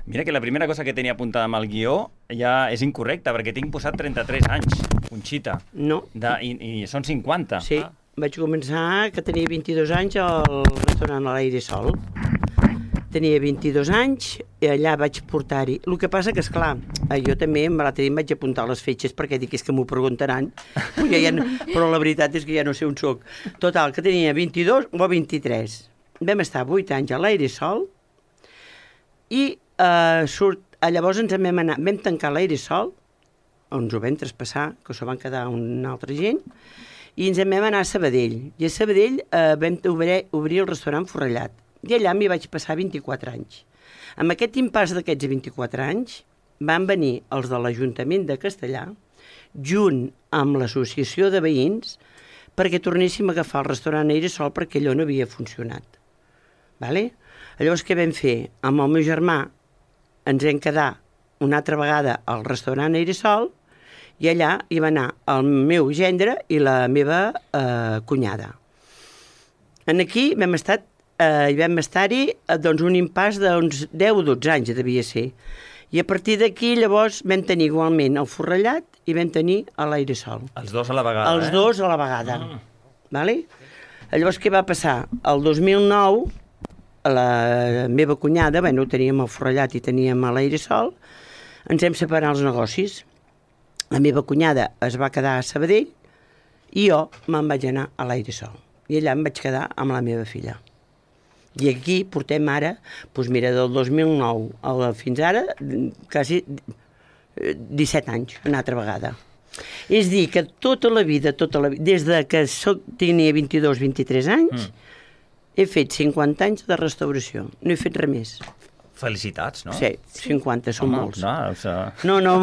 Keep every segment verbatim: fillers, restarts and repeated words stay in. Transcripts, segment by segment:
Mira que la primera cosa que tenia apuntada amb el guió ja és incorrecta, perquè tinc posat trenta-tres anys, Conxita. No. De, i, I són cinquanta. Sí, ah. Vaig començar que tenia vint-i-dos anys al restaurant a l'Aire Sol. Tenia vint-i-dos anys i allà vaig portar-hi. El que passa que, esclar, jo també l'altre dia em vaig apuntar les fetges perquè dic, és que m'ho preguntaran, ja ja no, però la veritat és que ja no sé on soc. Total, que tenia vint-i-dos o vint-i-tres. Vam estar vuit anys a l'Aire Sol i eh, surt, llavors ens vam anar, vam tancar l'Aire Sol, on ens ho vam traspassar, que s'ho van quedar una altra gent, i ens en vam anar a Sabadell. I a Sabadell eh, vam obrir, obrir el restaurant Forrellat. I allà m'hi vaig passar vint-i-quatre anys. Amb aquest impàs d'aquests vint-i-quatre anys van venir els de l'Ajuntament de Castellà, junt amb l'associació de veïns, perquè tornéssim a agafar el restaurant Aire Sol perquè allò no havia funcionat. Vale? Llavors què vam fer? Amb el meu germà ens vam quedar una altra vegada al restaurant Aire Sol i allà hi va anar el meu gendre i la meva eh, cunyada. En aquí vam estar Uh, i vam estar-hi uh, doncs, un impàs d'uns deu o dotze anys, devia ser. I a partir d'aquí, llavors, vam tenir igualment el Forrellat i vam tenir a l'Aire Sol. Els dos a la vegada, Els eh? dos a la vegada. Mm. Vale? Llavors, què va passar? El dos mil nou, la meva cunyada, bueno, teníem el Forrellat i teníem a l'Aire Sol, ens hem separat els negocis. La meva cunyada es va quedar a Sabadell i jo me'n vaig anar a l'Aire Sol. I allà em vaig quedar amb la meva filla. I aquí portem ara, doncs mira, del dos mil nou a fins ara, quasi disset anys, una altra vegada. És dir, que tota la vida, tota la vida, des de que soc, tenia vint-i-dos vint-i-tres anys, mm. he fet cinquanta anys de restauració. No he fet res més. Felicitats, no? Sí, cinquanta, són Home, molts. No, o sigui... no, no.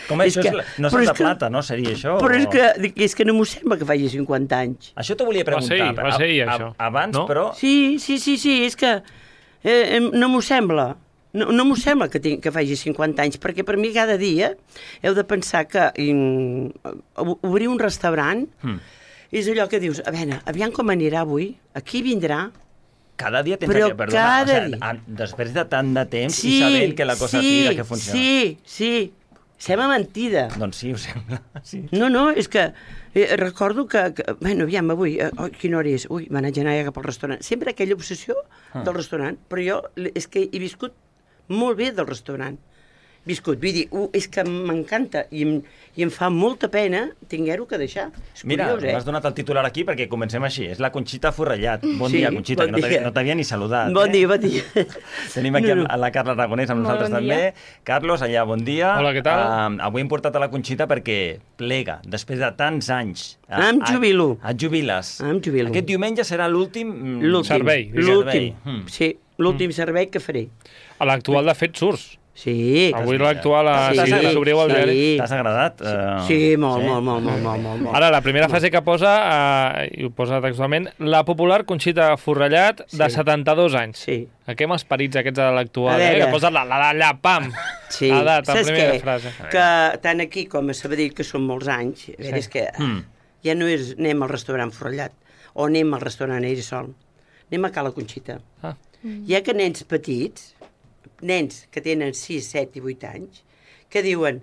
Com és això? Que, és, no és de plata, no? Seria això? Però o... és, que, és que no m'ho sembla que faci cinquanta anys. Això t'ho volia preguntar. Va ser, va ser a, això. A, abans, no? però... Sí, sí, sí, sí, és que eh, no m'ho sembla. No, no m'ho sembla que, tinc, que faci cinquanta anys, perquè per mi cada dia heu de pensar que in, obrir un restaurant hmm. és allò que dius, a veure, aviam com anirà avui, aquí vindrà... Cada dia tens però que... Perdona, cada o sigui, després de tant de temps sí, i sabent que la cosa sí, tira, que funciona. Sí, sí, sembla mentida. Doncs sí, ho sembla. Sí. No, no, és que eh, recordo que, que... Bueno, aviam, avui, eh, oh, quina hora és? Ui, me n'haig d'anar ja cap al restaurant. Sempre aquella obsessió ah. del restaurant, però jo és que he viscut molt bé del restaurant. Viscut, vull dir, uh, és que m'encanta i, em, i em fa molta pena tinguer-ho que deixar. És Mira, curiós, eh? m'has donat el titular aquí perquè comencem així. És la Conxita Forrellat. Bon sí, dia, Conxita, bon que no t'havia no ni saludat. Bon eh? dia, bon dia. Tenim aquí no, no. a la Carla Aragonès amb Molt nosaltres bon també. dia. Carlos, allà, bon dia. Hola, què tal? Uh, avui hem portat a la Conxita perquè plega, després de tants anys. Uh, em jubilo. Et jubiles. Em jubilo. Aquest diumenge serà l'últim... L'últim. Servei. L'últim, mm. sí, l'últim mm. servei que faré. A l'actual, de fet, surts. Sí. Avui l'actual, sí, si sí, s'obriu el sí. diari. T'has agradat? Uh, sí, molt, sí. Molt, molt, molt, molt, molt, molt. Ara, la primera frase que posa, uh, i ho posa textualment, la popular Conxita Forrellat, sí. de setanta-dos anys. Sí. A què m'esperits aquests de l'actual, eh? Que posa la d'allà, pam! Sí. Edat, la saps primera què? frase. Que tant aquí com a Sabadell, que són molts anys, a veure, sí. és que mm. ja no és anem al restaurant Forrellat o anem al restaurant Aire Sol, anem a Cala Conxita. Ah. Mm. Hi ha que nens petits, nens que tenen sis, set i vuit anys, que diuen,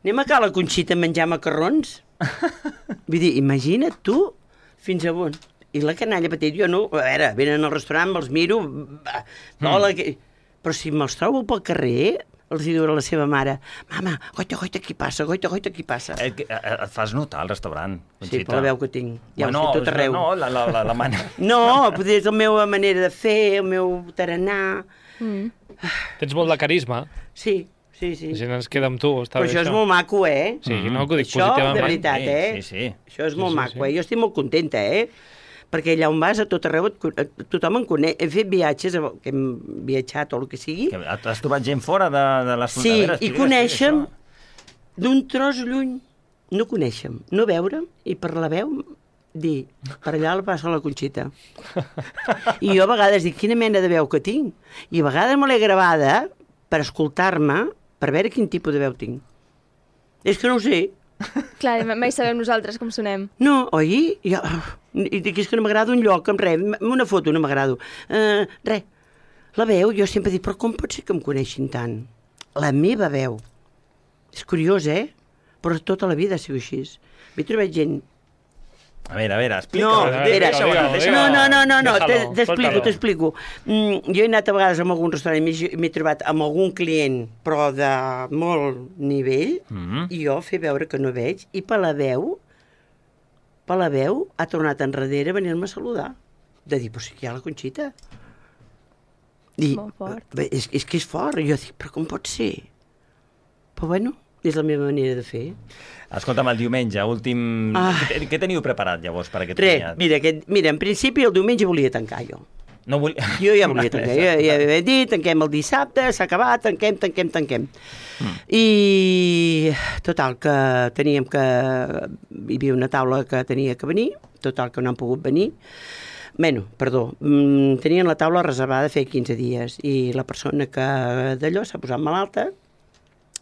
anem a Cala Conxita a menjar macarrons? Vull dir, imagina't tu fins a on. I la canalla petit, jo no, a veure, venen al restaurant, me'ls miro, hola, mm. però si me'ls trobo pel carrer, els diu a la seva mare, mama, goita, goita, qui passa, goita, goita, qui passa. Et, et fas notar al restaurant, Conxita. Sí, per la veu que tinc, ja bueno, ho sé, tot arreu. No, la, la, la, la manera... No, potser és la meva manera de fer, el meu tarannà... Mm. Tens molt de carisma. Sí, sí, sí. La gent ens queda amb tu, està però bé això. Però això és molt maco, eh? Sí, mm-hmm. no, que ho dic això, positivament. de veritat, eh? Sí, sí. Això és sí, molt sí, maco, sí. eh? Jo estic molt contenta, eh? Perquè allà on vas, a tot arreu, et, tothom em coneix. He fet viatges, que hem viatjat o el que sigui. Que has trobat gent fora de, de les fronteres? Sí, i coneixem d'un tros lluny. No coneixem, no veurem, i per la veu dir, per allà la passa la Conxita. I jo a vegades dic, quina mena de veu que tinc? I a vegades me l'he gravada per escoltar-me, per veure quin tipus de veu tinc. És que no ho sé. Clar, mai sabem nosaltres com sonem. No, oi? Jo, i dic, és que no m'agrada un lloc, amb res, una foto no m'agrado. Uh, res. La veu, jo sempre dic, però com pot ser que em coneixin tant? La meva veu. És curiós, eh? Però tota la vida ha sigut així. M'he trobat gent... A veure, a veure, explica. No, Digue-ho, mira, digue-ho, deixa digue-ho. no, no, no, no, no, Déjalo, te- t'explico, suéltalo. t'explico. Mm, jo he anat a vegades a algun restaurant i m'he- m'he trobat amb algun client, però de molt nivell, Mhm. i jo fer veure que no veig, i per la veu, per la veu, ha tornat enrere a venir-me a saludar. De dir, però si aquí hi ha la Conxita. I, Molt fort. bé, és, és que és fort. I jo dic, però com pot ser? Però bueno, és la meva manera de fer. Escolta'm, el diumenge, últim... Ah. Què, què teniu preparat, llavors, per aquest Res, comiat? mira, aquest, mira, en principi el diumenge volia tancar jo. No vull... Jo ja volia tancar, jo ja havia dit, tanquem el dissabte, s'ha acabat, tanquem, tanquem, tanquem. Mm. I total, que teníem que... Hi havia una taula que tenia que venir, total, que no han pogut venir. Bueno, perdó, mm, tenien la taula reservada fer quinze dies i la persona que d'allò s'ha posat malalta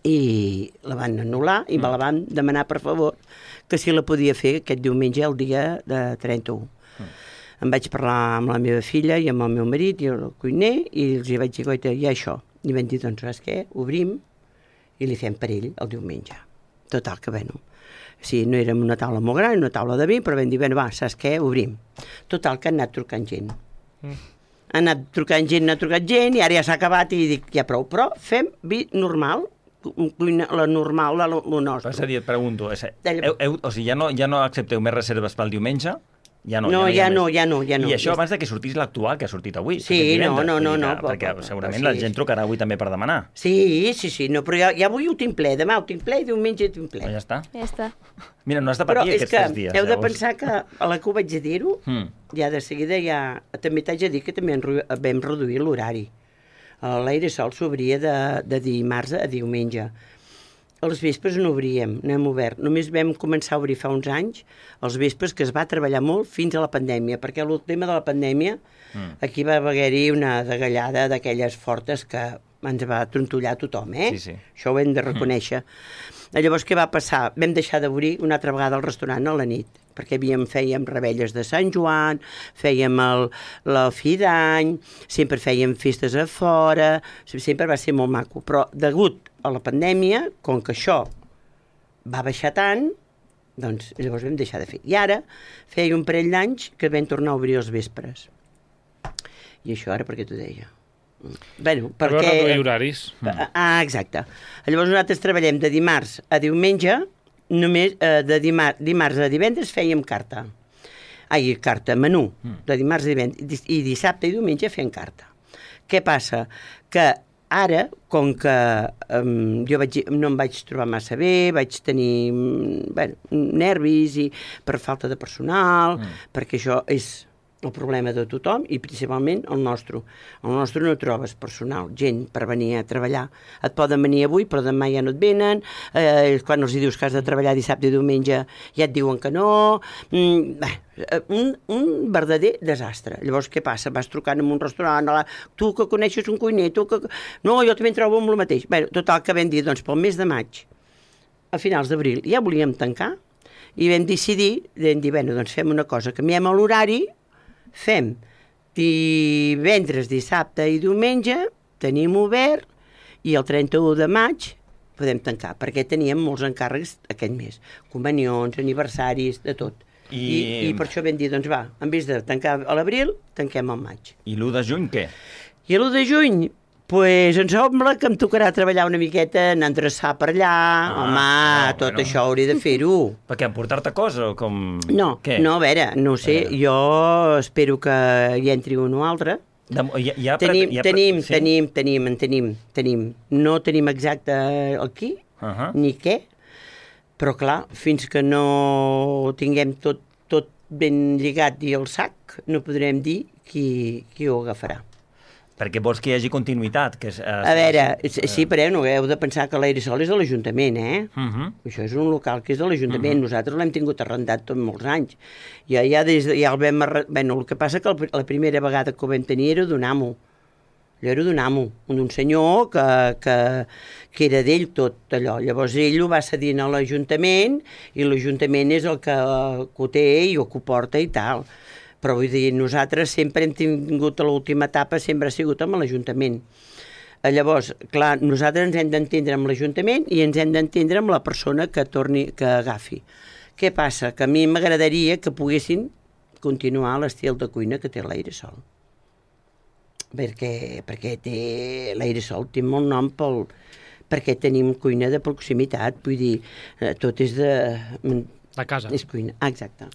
i la van anul·lar i me la van demanar per favor que si la podia fer aquest diumenge el dia de trenta-u. Mm. Em vaig parlar amb la meva filla i amb el meu marit i el cuiner i els hi vaig dir, goita, hi ha això. I vam dir, doncs, saps què? Obrim i li fem per ell el diumenge. Total, que bueno, sí, no érem una taula molt gran, una taula de vi, però vam dir, bueno, va, saps què? Obrim. Total, que han anat trucant gent. Mm. Han anat trucant gent, han trucat gent, i ara ja s'ha acabat i dic, ja prou. Però fem vi normal, cuina, la normal, la, lo nostre. És a dir, et pregunto, és, Dalla. heu, heu, o sigui, ja no, ja no accepteu més reserves pel diumenge? Ja no, No, hi ja ha no, més. ja no, ja no. I això Ja abans de que sortís l'actual, que ha sortit avui. Sí, aquest divendres, no, no, vull dir no, que- no, Perquè però- segurament però la sí. gent trucarà avui també per demanar. Sí, sí, sí, no, però ja, ja avui ho tinc ple, demà ho tinc ple i diumenge ho tinc ple. Però ja està. Ja està. Mira, no has de Però patir és aquests que tres dies. heu de llavors. pensar que a la que ho vaig dir-ho, Mm. ja de seguida ja... També t'haig de dir que també en ru- vam reduir l'horari. L'aire sol s'obria de, de dimarts a diumenge. Els vespres no obríem, no hem obert. Només vam començar a obrir fa uns anys, els vespres, que es va treballar molt fins a la pandèmia, perquè el tema de la pandèmia, mm. aquí va haver-hi una degallada d'aquelles fortes que ens va trontollar tothom, eh? Sí, sí. Això ho hem de reconèixer. Mm. Llavors, què va passar? Vam deixar d'obrir una altra vegada el restaurant a la nit, perquè havíem, fèiem rebelles de Sant Joan, fèiem el, la fi d'any, sempre fèiem festes a fora, sempre va ser molt maco. Però, degut a la pandèmia, com que això va baixar tant, doncs llavors vam deixar de fer. I ara feia un parell d'anys que vam tornar a obrir els vespres. I això ara per què t'ho deia? Bueno, Per veure perquè... reduir horaris. Ah, exacte. Llavors nosaltres treballem de dimarts a diumenge, només eh, de dimar dimarts a divendres fèiem carta. Ai, carta, menú, de dimarts a divendres, i dissabte i diumenge fem carta. Què passa? Que ara, com que um, jo vaig, no em vaig trobar massa bé, vaig tenir bueno, nervis i per falta de personal, mm. perquè això és el problema de tothom i principalment el nostre. El nostre no trobes personal, gent per venir a treballar. Et poden venir avui, però demà ja no et venen. Eh, quan els dius que has de treballar dissabte i diumenge ja et diuen que no. Mm, bé, un, un verdader desastre. Llavors, què passa? Vas trucant en un restaurant, la, tu que coneixes un cuiner, tu que... No, jo també em trobo amb el mateix. Bé, total, que vam dir, doncs, pel mes de maig, a finals d'abril, ja volíem tancar i vam decidir, vam dir, bueno, doncs fem una cosa, canviem l'horari, fem divendres, dissabte i diumenge, tenim obert, i el trenta-u de maig podem tancar, perquè teníem molts encàrrecs aquest mes, comunions, aniversaris, de tot. I, I, i per això vam dir, doncs va, en vez de tancar a l'abril, tanquem al maig. I l'u de juny què? I l'u de juny, pues em sembla que em tocarà treballar una miqueta, anar a endreçar per allà, Ah, home, no, tot bueno. això hauria de fer-ho. Per què, emportar-te cosa o com... No, Què? no, a veure, no ho sé, A veure. jo espero que hi entri un o altre. De, hi, hi ha, Tenim, hi ha, tenim, sí? tenim, tenim, en tenim, tenim. No tenim exacte el qui, Uh -huh. ni què, però clar, fins que no tinguem tot, tot ben lligat i el sac, no podrem dir qui, qui ho agafarà. Perquè vols que hi hagi continuïtat. Que és, eh, A veure, sí, però no heu de pensar que l'Airesol és de l'Ajuntament, eh? Uh -huh. Això és un local que és de l'Ajuntament. Uh -huh. Nosaltres l'hem tingut arrendat tot molts anys. Ja, ja, des de, ja el vam... Arre... Bueno, el que passa que el, la primera vegada que ho vam tenir era d'un amo. Allò era d'un amo, d'un senyor que, que, que era d'ell tot allò. Llavors ell ho va cedir a l'Ajuntament i l'Ajuntament és el que, que ho té i el que ho porta i tal. Però vull dir, nosaltres sempre hem tingut a l'última etapa, sempre ha sigut amb l'Ajuntament. Llavors, clar, nosaltres ens hem d'entendre amb l'Ajuntament i ens hem d'entendre amb la persona que torni, que agafi. Què passa? Que a mi m'agradaria que poguessin continuar l'estil de cuina que té l'Airesol. Perquè, perquè té l'Airesol té molt nom pel, perquè tenim cuina de proximitat, vull dir, tot és de... De casa. És cuina, ah, exacte.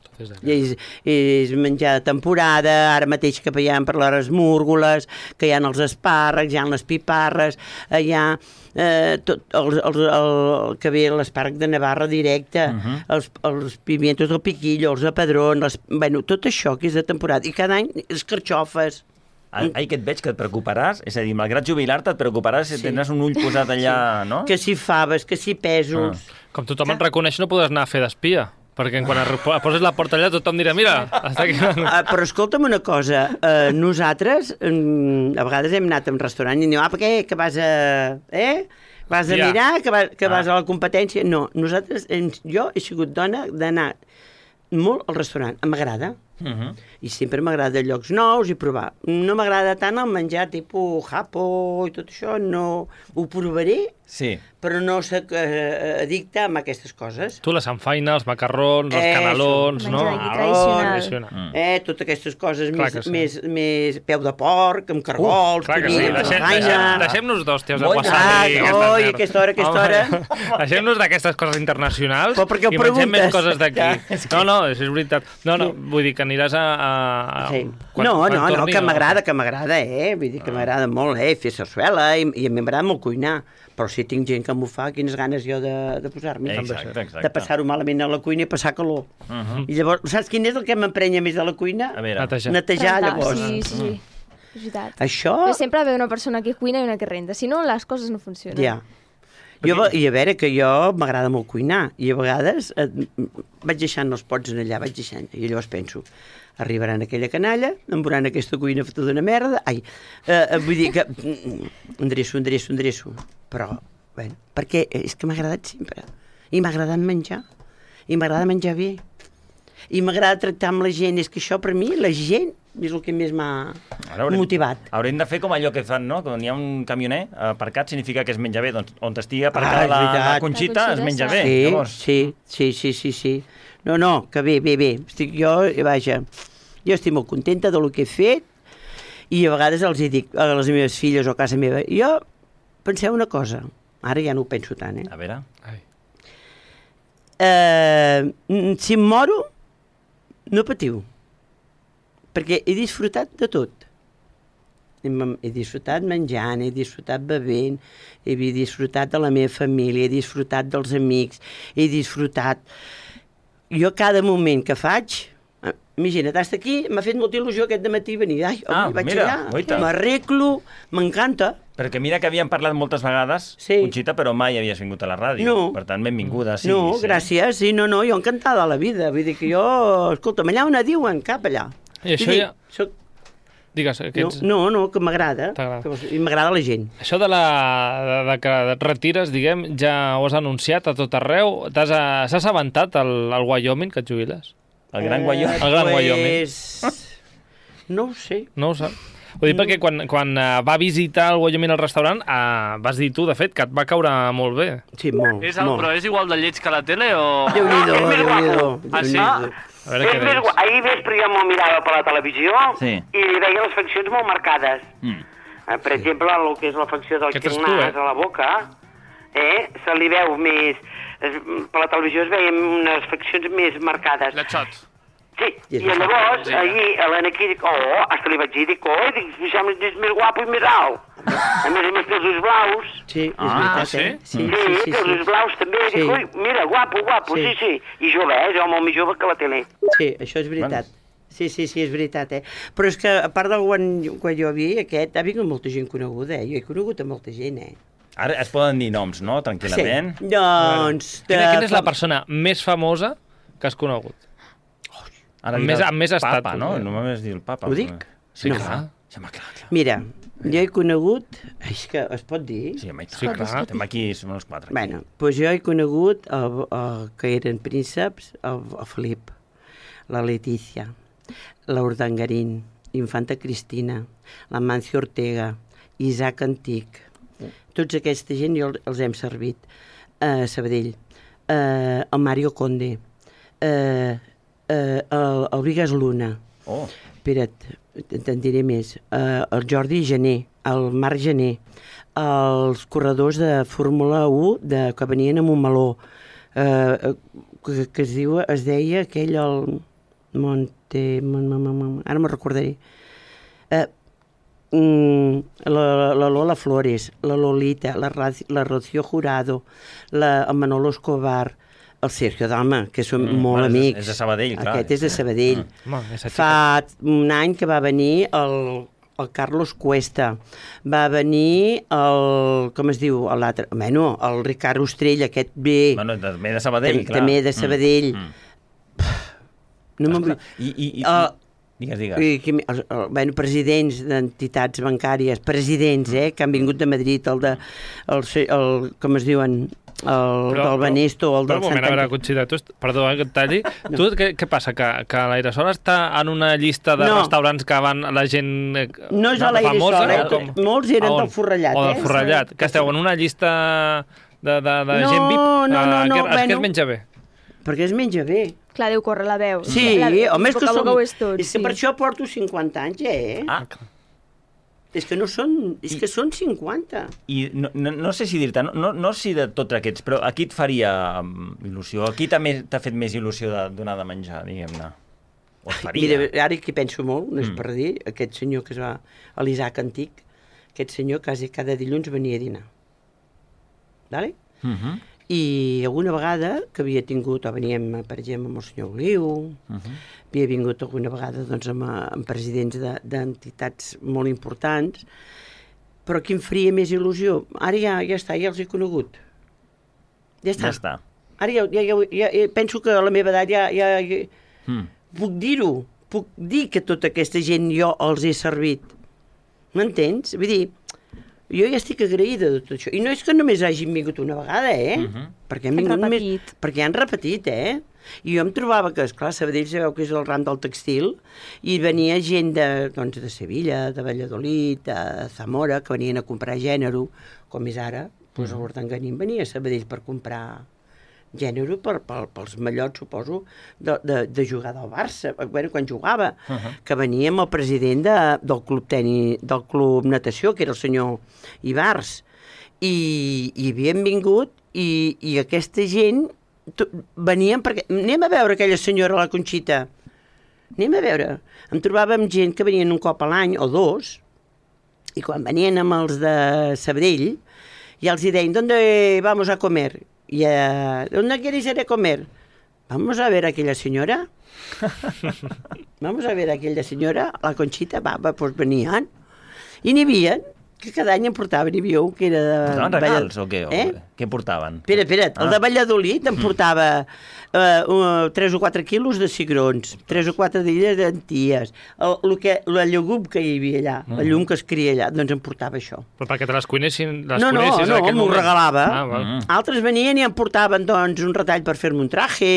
I és, és menjar de temporada, ara mateix que veiem per les múrgoles, que hi ha els espàrrecs, hi ha les piparres, hi ha eh, tot, el, el, el, que ve l'espàrrec de Navarra directe, uh -huh. els, els pimientos del piquillo, els de Padrón, les, bueno, tot això que és de temporada. I cada any les carxofes. Ai, que et veig que et preocuparàs, és a dir, malgrat jubilar-te et preocuparàs si sí. tindràs un ull posat allà, sí. no? Que si faves, que si pèsols... Ah. Com tothom et reconeix, no podràs anar a fer d'espia, perquè quan poses la porta allà tothom dirà, mira, està aquí... Uh, però escolta'm una cosa, uh, nosaltres um, a vegades hem anat a un restaurant i diu, ah, per què, que vas a... Eh? Vas a ja. mirar, que, va, que ah. vas a la competència? No, nosaltres, jo he sigut dona d'anar molt al restaurant, m'agrada. Uh -huh. I sempre m'agrada llocs nous i provar. No m'agrada tant el menjar tipus japo i tot això, no ho provaré, sí. però no soc eh, addicta a aquestes coses. Tu la samfaina, els macarrons, els eh, canelons, no? Tradicional. Mm. Eh, totes aquestes coses Clar més, sí. més, més peu de porc, amb cargols, uh, clar que sí. Deixem, deixem, deixem-nos d'hòsties de wasabi. Ah, oi, aquesta hora, aquesta hora. Deixem-nos d'aquestes coses internacionals però perquè ho i mengem preguntes. més coses d'aquí. Ja, no, no, és veritat. No, no, vull dir que aniràs a... a sí. quan, no, quan no, torni, no, que m'agrada, que m'agrada, eh? Vull dir que m'agrada molt, eh? Fer sarsuela i, i a mi m'agrada molt cuinar. Però si tinc gent que m'ho fa, quines ganes jo de, de posar-m'hi. Exacte, exacte. De passar-ho malament a la cuina i passar calor. Uh -huh. I llavors, saps quin és el que m'emprenya més de la cuina? A veure. Netejar. Netejar, llavors. Sí, sí, sí. És veritat. Això... Però sempre ha d'haver una persona que cuina i una que renta. Si no, les coses no funcionen. Ja. Jo, I a veure, que jo m'agrada molt cuinar. I a vegades eh, vaig deixant els pots en allà, vaig deixant. I llavors penso, arribaran aquella canalla, em veuran aquesta cuina feta d'una merda. Ai, eh, vull dir que... Endreço, endreço, endreço. Però... Bueno, perquè és que m'ha agradat sempre. I m'ha agradat menjar. I m'agrada menjar bé. I m'agrada tractar amb la gent. És que això, per mi, la gent és el que més m'ha motivat. Haurem de fer com allò que fan, no? Quan hi ha un camioner aparcat significa que es menja bé. Doncs on estigui aparcada ah, la, la Conxita, es menja bé. Sí, llavors. sí, sí, sí, sí, sí. No, no, que bé, bé, bé. Estic jo, vaja, jo estic molt contenta del que he fet i a vegades els hi dic a les meves filles o a casa meva, jo, penseu una cosa, ara ja no ho penso tant, eh? A veure. Ai. Eh, si em moro, no patiu, perquè he disfrutat de tot. He, he disfrutat menjant, he disfrutat bevent, he disfrutat de la meva família, he disfrutat dels amics, he disfrutat... Jo cada moment que faig... Imagina't, hasta aquí m'ha fet molta il·lusió aquest dematí venir. Ai, ah, vaig mira, allà, m'arreglo, m'encanta. Perquè mira que havíem parlat moltes vegades, sí. Conxita, però mai havies vingut a la ràdio. No. Per tant, benvinguda. Sí, no, sí. gràcies. Sí, no, no, jo encantada de la vida. Vull dir que jo, escolta'm, allà on diuen, cap allà. I això dir, ja... Soc... Digues, que ets... No, no, que m'agrada. I m'agrada la gent. Això de, la, de, de que et retires, diguem, ja ho has anunciat a tot arreu. S'ha assabentat al, al Wyoming que et jubiles? El gran eh, Wyoming. El gran pues... Wyoming. No ho sé. No ho sap. Ho dic no. perquè quan, quan uh, va visitar el Wyoming al restaurant, uh, vas dir tu, de fet, que et va caure molt bé. Sí, molt. És el, molt. Però és igual de lleig que la tele o... Déu-n'hi-do, Déu-n'hi-do. Ah, sí? A veure què deies. Ahir vespre jo m'ho mirava per la televisió sí. i veia les faccions molt marcades. Mm. Eh, per exemple, el que és la facció del ximnàs eh? a la boca, eh, se li veu més... Es, per la televisió es veien unes faccions més marcades. Les xots. Sí, i llavors, ahir, a l'Anaquí, dic, oh, hasta li vaig dir, dic, oh, dic, és més guapo i més alt. A més a més té els ulls blaus. Sí, és ah, veritat, sí? eh? Sí, sí, sí, té els ulls blaus també. Sí. Dic, ui, mira, guapo, guapo, sí, sí. sí. I jove, eh? Jo molt més jove que la tele. Sí, això és veritat. Sí, sí, sí, és veritat, eh? Però és que, a part del quan, quan jo vi aquest, ha vingut molta gent coneguda, eh? Jo he conegut a molta gent, eh? Ara es poden dir noms, no?, tranquil·lament. Sí, doncs... De... Quina, quina és la persona més famosa que has conegut? Ara amb més, amb més estat. Papa, no? No m'havies dit el papa. Ho dic? Sí, no. clar. Sí, home, clar, clar. Mira, jo he conegut... És que es pot dir? Sí, home, sí, clar. Estem aquí, som els quatre. Aquí. Bueno, doncs jo he conegut el, el, que eren prínceps, el, el Felip, la Letícia, la Urdangarín, Infanta Cristina, la Mancio Ortega, Isaac Antic. Tots aquesta gent jo els hem servit. A uh, Sabadell. Uh, el Mario Conde. Uh, uh, el, el Vigas Luna. Oh. Espera't, te'n diré més. Uh, el Jordi Gené, el Marc Gené, els corredors de Fórmula u de, que venien a Montmeló, uh, que, que es, diu, es deia aquell el Monte... Ara me'n recordaré. Uh, Mm, la, la Lola Flores, la Lolita, la, la Rocío Jurado, la, el Manolo Escobar, el Sergio Dalma, que són mm, molt amics. És de Sabadell, clar. Aquest és de Sabadell. Mm. Fa un any que va venir el, el Carlos Cuesta, va venir el, com es diu, l'altre, bueno, el Ricard Ostrell, aquest bé. Bueno, també de Sabadell, tam, clar. També de Sabadell. Mm. No me'n vull... I, i, i, uh, Digues, digues. I, que, el, el, bueno, presidents d'entitats bancàries, presidents, eh, que han vingut de Madrid, el de, el, el, com es diuen, el però, del Banesto, el del Sant Antoni. A veure, Conxita, tu, perdó, eh, que et talli. No. Tu, què, què passa, que, que l'Airesol està en una llista de no. restaurants que van la gent eh, no és a l'Airesol, eh? Com... molts eren del Forrellat. O del Forrellat, eh? Que esteu en una llista de, de, de no, gent V I P. No, no, no. no què, bueno, es menja bé? Perquè es menja bé. Clar, deu córrer la veu. Sí, la, home, és que, som, és, tot, és que sí. per això porto cinquanta anys, eh? Ah. És que no són... És I, que són cinquanta. I no, no, no sé si dir-te, no, no, no si de tots aquests, però a qui et faria il·lusió? A qui també t'ha fet més il·lusió de donar de menjar, diguem-ne? O et faria? Mira, ara que penso molt, no és mm. per dir, aquest senyor que es va... l'Isaac Antic, aquest senyor quasi cada dilluns venia a dinar. Vale? Mhm. I alguna vegada que havia tingut, o veníem, per exemple, amb el senyor Oliu, uh-huh. havia vingut alguna vegada doncs, amb, amb presidents d'entitats de, molt importants, però qui em faria més il·lusió? Ara ja, ja està, ja els he conegut. Ja està. Ja està. Ara ja, ja, ja, ja, ja penso que a la meva edat ja, ja, ja mm. puc dir-ho, puc dir que tota aquesta gent jo els he servit. M'entens? Vull dir, jo ja estic agraïda de tot això. I no és que només hagin vingut una vegada, eh? Uh-huh. Perquè han vingut només... Perquè han repetit, eh? I jo em trobava que, esclar, Sabadell sabeu que és el ram del textil, i venia gent de, doncs, de Sevilla, de Valladolid, de Zamora, que venien a comprar gènere, com és ara, doncs uh-huh. l'Urdangarín venia a Sabadell per comprar gènere per, per, pels mallots, suposo, de, de, de jugar del Barça, bueno, quan jugava, uh-huh. que venia amb el president de, del club tenis, del club natació, que era el senyor Ibars, i, i havien vingut, i, i aquesta gent to, venien perquè... Anem a veure aquella senyora, la Conxita, anem a veure. Em trobava amb gent que venien un cop a l'any, o dos, i quan venien amb els de Sabadell, ja els hi deien, ¿dónde vamos a comer? Y, uh, ¿dónde queréis ir a comer? Vamos a ver a aquella señora. Vamos a ver a aquella señora, la Conxita, va, va, pues venien. I n'hi havia, que cada any em portaven, n'hi havia un que era de... Portaven regals o què? Eh? Què portaven? Espera, espera't, ah. el de Valladolid em portava uh, uh, tres o quatre quilos de cigrons, tres o quatre d'illes d'anties, el, el que, la llegum que hi havia allà, mm. la llum que es cria allà, doncs em portava això. Però perquè te les cuinessin, les no, cuinessis no, en aquell no, moment? m'ho regalava. Ah, mm. Altres venien i em portaven, doncs, un retall per fer-me un traje.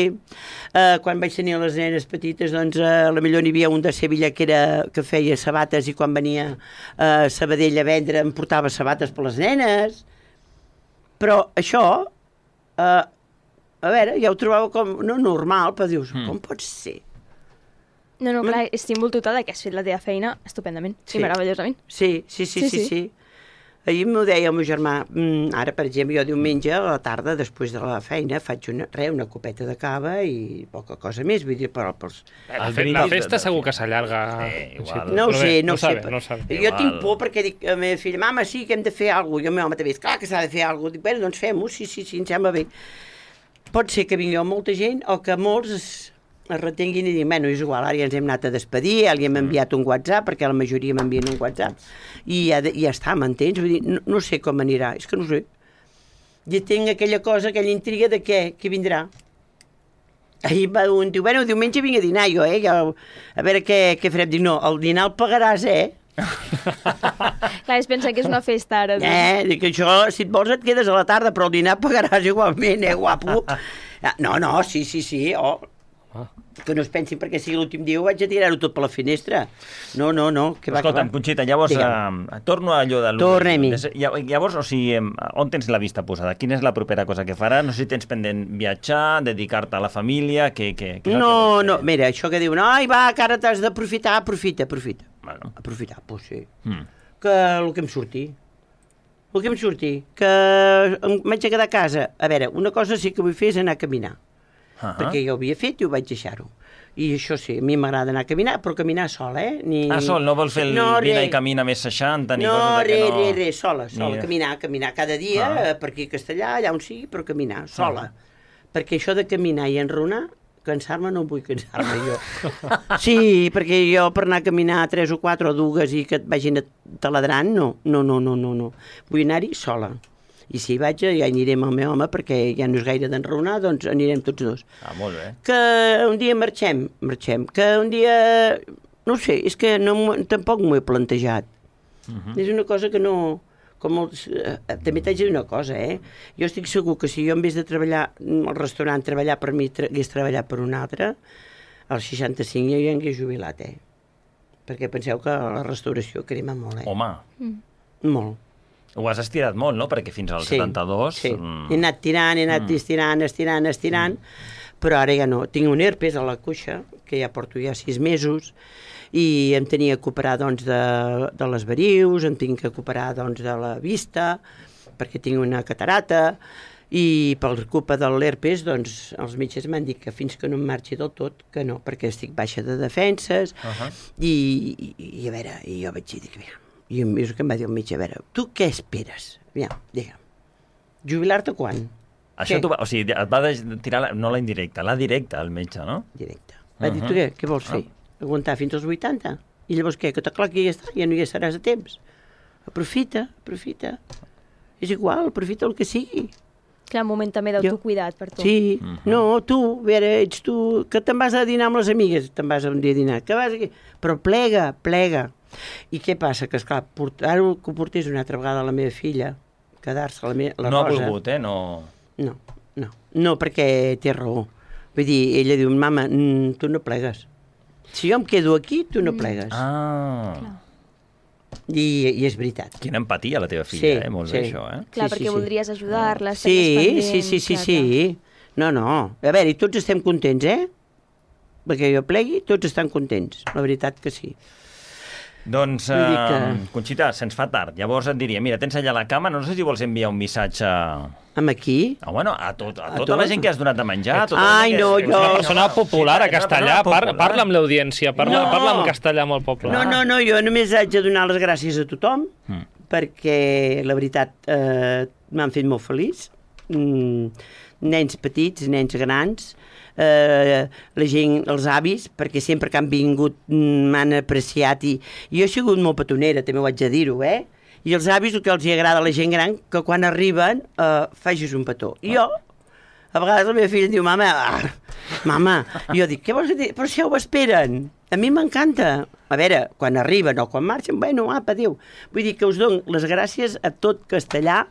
Uh, quan vaig tenir les nenes petites, doncs, uh, a la millor n'hi havia un de Sevilla que, era, que feia sabates i quan venia a uh, Sabadell a vendre em portava sabates per les nenes. Però això, uh, a veure, ja ho trobava com no normal, però dius, mm. com pot ser? No, no, clar, estic envoltada que has fet la teva feina estupendament sí. i meravellosament. Sí, sí, sí, sí, sí. sí. Ahir m'ho deia el meu germà, mm, ara, per exemple, jo diumenge a la tarda, després de la feina, faig una, re, una copeta de cava i poca cosa més, vull dir, però... però la, la festa de, segur que s'allarga. Sí, igual. No ho sé, no ho sé. Sabe, no sabe. Jo igual. Tinc por perquè dic a la meva filla, mama, sí que hem de fer alguna cosa. I el meu home també diu, clar que s'ha de fer alguna cosa. Dic, bueno, doncs fem-ho, sí, sí, sí, em sembla bé. Pot ser que vingui molta gent o que molts es, es retenguin i diguin, bueno, és igual, ara ja ens hem anat a despedir, ja li hem enviat un WhatsApp, perquè la majoria m'envien un WhatsApp, i ja, ja està, m'entens? Vull dir, no, no sé com anirà, és que no sé. Ja tinc aquella cosa, aquella intriga de què, què vindrà. Ahir va un diu, bueno, diumenge vinc a dinar jo, eh? Ja, a veure què, què farem. Dic, no, el dinar el pagaràs, eh? Clar, es pensa que és una festa ara. Eh, dic, això, si et vols et quedes a la tarda, però el dinar pagaràs igualment, eh, guapo? No, no, sí, sí, sí, oh. que no es pensin perquè sigui l'últim dia ho vaig a tirar-ho tot per la finestra. No, no, no. Que va, Escolta'm, que va. Conxita, llavors eh, torno a allò de... Tornem-hi. Llavors, o sigui, on tens la vista posada? Quina és la propera cosa que faràs? No sé si tens pendent viatjar, dedicar-te a la família, què, què, què No, no, mira, això que diuen, ai, va, que ara t'has d'aprofitar, aprofita, aprofita. Bueno. Aprofitar, doncs sí. Mm. Que el que em surti. El que em surti. Que em vaig a quedar a casa. A veure, una cosa sí que vull fer és anar a caminar. Uh-huh. Perquè jo ho havia fet i ho vaig deixar-ho. I això sí, a mi m'agrada anar a caminar, però caminar sola, eh? Ni... Ah, sol, no vols fer el no, vine i camina més seixanta, ni no, coses de que no... No, res, res, sola, sola, ni... caminar, caminar cada dia, ah. per aquí a Castellà, allà on sigui, però caminar, sola. Ah. Perquè això de caminar i enronar, cansar-me no vull cansar-me jo. Sí, perquè jo per anar a caminar tres o quatre o dues i que et vagin taladrant, no, no, no, no, no, no. Vull anar-hi sola. I si hi vaig, ja anirem amb el meu home, perquè ja no és gaire d'enraonar, doncs anirem tots dos. Ah, molt bé. Que un dia marxem, marxem. Que un dia... No sé, és que no, tampoc m'ho he plantejat. Uh-huh. És una cosa que no... Com els, eh, també t'haig de dir una cosa, eh? Jo estic segur que si jo en vez de treballar al restaurant, treballar per mi, tra hagués treballat per un altre, als seixanta-cinc jo ja hagués jubilat, eh? Perquè penseu que la restauració crema molt, eh? Home. Mm. Molt. Ho has estirat molt, no? Perquè fins al sí, setanta-dos... Sí, mm. he anat tirant, he anat mm. estirant, estirant, estirant, mm. però ara ja no. Tinc un herpes a la cuixa, que ja porto ja sis mesos, i em tenia que operar, doncs, de, de les varius, em tinc que operar, doncs, de la vista, perquè tinc una catarata, i per culpa de l'herpes, doncs, els metges m'han dit que fins que no em marxi del tot, que no, perquè estic baixa de defenses, uh -huh. i, i, i a veure, i jo vaig dir que mira, i és que em va dir el metge, a veure, tu què esperes? Aviam, digue'm, jubilar-te quan? Això t'ho va, o sigui, et va tirar, la, no la indirecta, la directa, el metge, no? Directa. Va uh -huh. dir, tu què, què vols fer? Uh. Aguantar fins als vuitanta? I llavors què, que clar que ja està, ja no hi estaràs a temps. Aprofita, aprofita. És igual, aprofita el que sigui. Clar, un moment també d'autocuidat per tu. Sí, uh -huh. no, tu, a veure, ets tu, que te'n vas a dinar amb les amigues, te'n vas un dia a dinar, que vas aquí, però plega, plega. I què passa? Que, esclar, ara que ho portés una altra vegada a la meva filla, quedar-se la, me la no Rosa... No ha volgut, eh? No... No, no, no, perquè té raó. Vull dir, ella diu, mama, mm, tu no plegues. Si jo em quedo aquí, tu no plegues. Ah... Clar. I, I és veritat. Quina empatia la teva filla, sí, eh? Molt sí. bé, això, eh? Clar, sí, perquè sí, voldries sí. ajudar-la, sí, pendent, sí, sí, sí, clar, sí. No, no. A veure, i tots estem contents, eh? Perquè jo plegui, tots estan contents. La veritat que sí. Doncs, uh, que... Conxita, se'ns fa tard. Llavors et diria, mira, tens allà a la cama, no sé si vols enviar un missatge... Amb aquí? Ah, bueno, a, tot, a, a tota tot? la gent que has donat de menjar. Tota Ai, no, que... jo... Una persona popular a Castellà, par parla amb l'audiència, parla, no. parla amb castellà molt popular. No, no, no, jo només haig de donar les gràcies a tothom, mm. perquè, la veritat, eh, m'han fet molt feliç. Mm, nens petits, nens grans, eh, la gent, els avis, perquè sempre que han vingut m'han apreciat i, i jo he sigut molt petonera, també ho haig de dir-ho, eh? I els avis, el que els agrada a la gent gran, que quan arriben eh, facis un petó. I jo, a vegades la meva filla em diu, mama, ah, mama, i jo dic, què vols dir? Però si ja ho esperen. A mi m'encanta. A veure, quan arriben o quan marxen, bueno, apa, adéu. Vull dir que us dono les gràcies a tot Castellà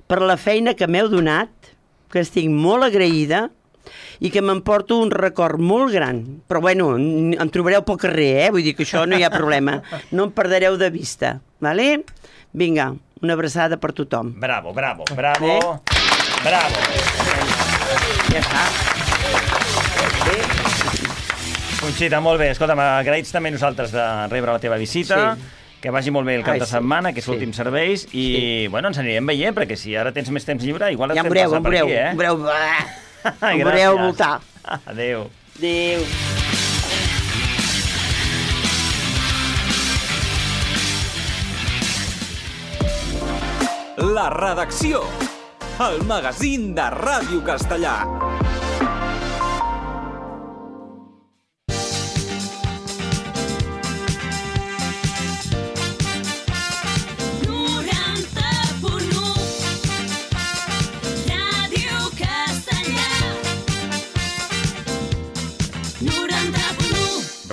per la feina que m'heu donat, que estic molt agraïda i que m'emporto un record molt gran. Però, bueno, em trobareu pel carrer, eh? Vull dir que això no hi ha problema. No em perdereu de vista, vale? Vinga, una abraçada per tothom. Bravo, bravo, bravo, eh? Bravo. Ja està. Bé. Conxita, molt bé. Escolta'm, agraïts també nosaltres de rebre la teva visita. Sí. Que vagi molt bé el cap Ai, de setmana, sí. que és l'últim sí. serveis, i, sí. bueno, ens anirem veient, perquè si ara tens més temps lliure, igual et ja fem veureu, passar per veureu, aquí, eh? em veureu, em veureu voltar. Adéu. Adéu. La redacció, el magazín de Ràdio Castellà.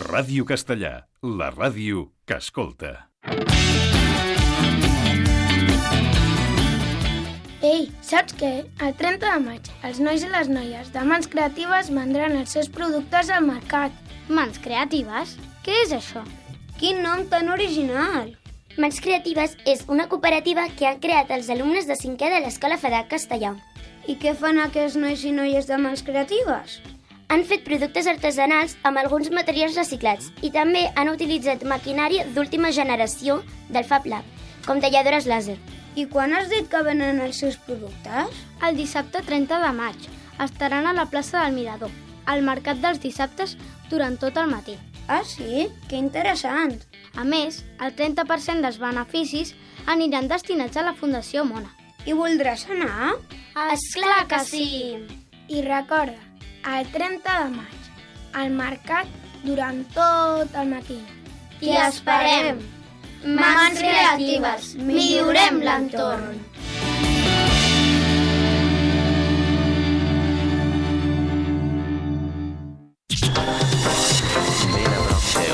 Ràdio Castellà, la ràdio que escolta. Ei, saps què? El trenta de maig, els nois i les noies de Mans Creatives vendran els seus productes al mercat. Mans Creatives? Què és això? Quin nom tan original! Mans Creatives és una cooperativa que han creat els alumnes de cinquè de l'Escola Federal Castellà. I què fan aquests nois i noies de Mans Creatives? Han fet productes artesanals amb alguns materials reciclats i també han utilitzat maquinària d'última generació del Fab Lab, com talladores làser. I quan has dit que venen els seus productes? El dissabte trenta de maig estaran a la plaça del Mirador, al mercat dels dissabtes durant tot el matí. Ah, sí? Que interessant! A més, el trenta per cent dels beneficis aniran destinats a la Fundació Mona. I voldràs anar? Esclar que sí! I recorda, el trenta de maig, al mercat durant tot el matí. T'hi esperem! Mans Creatives, millorem l'entorn!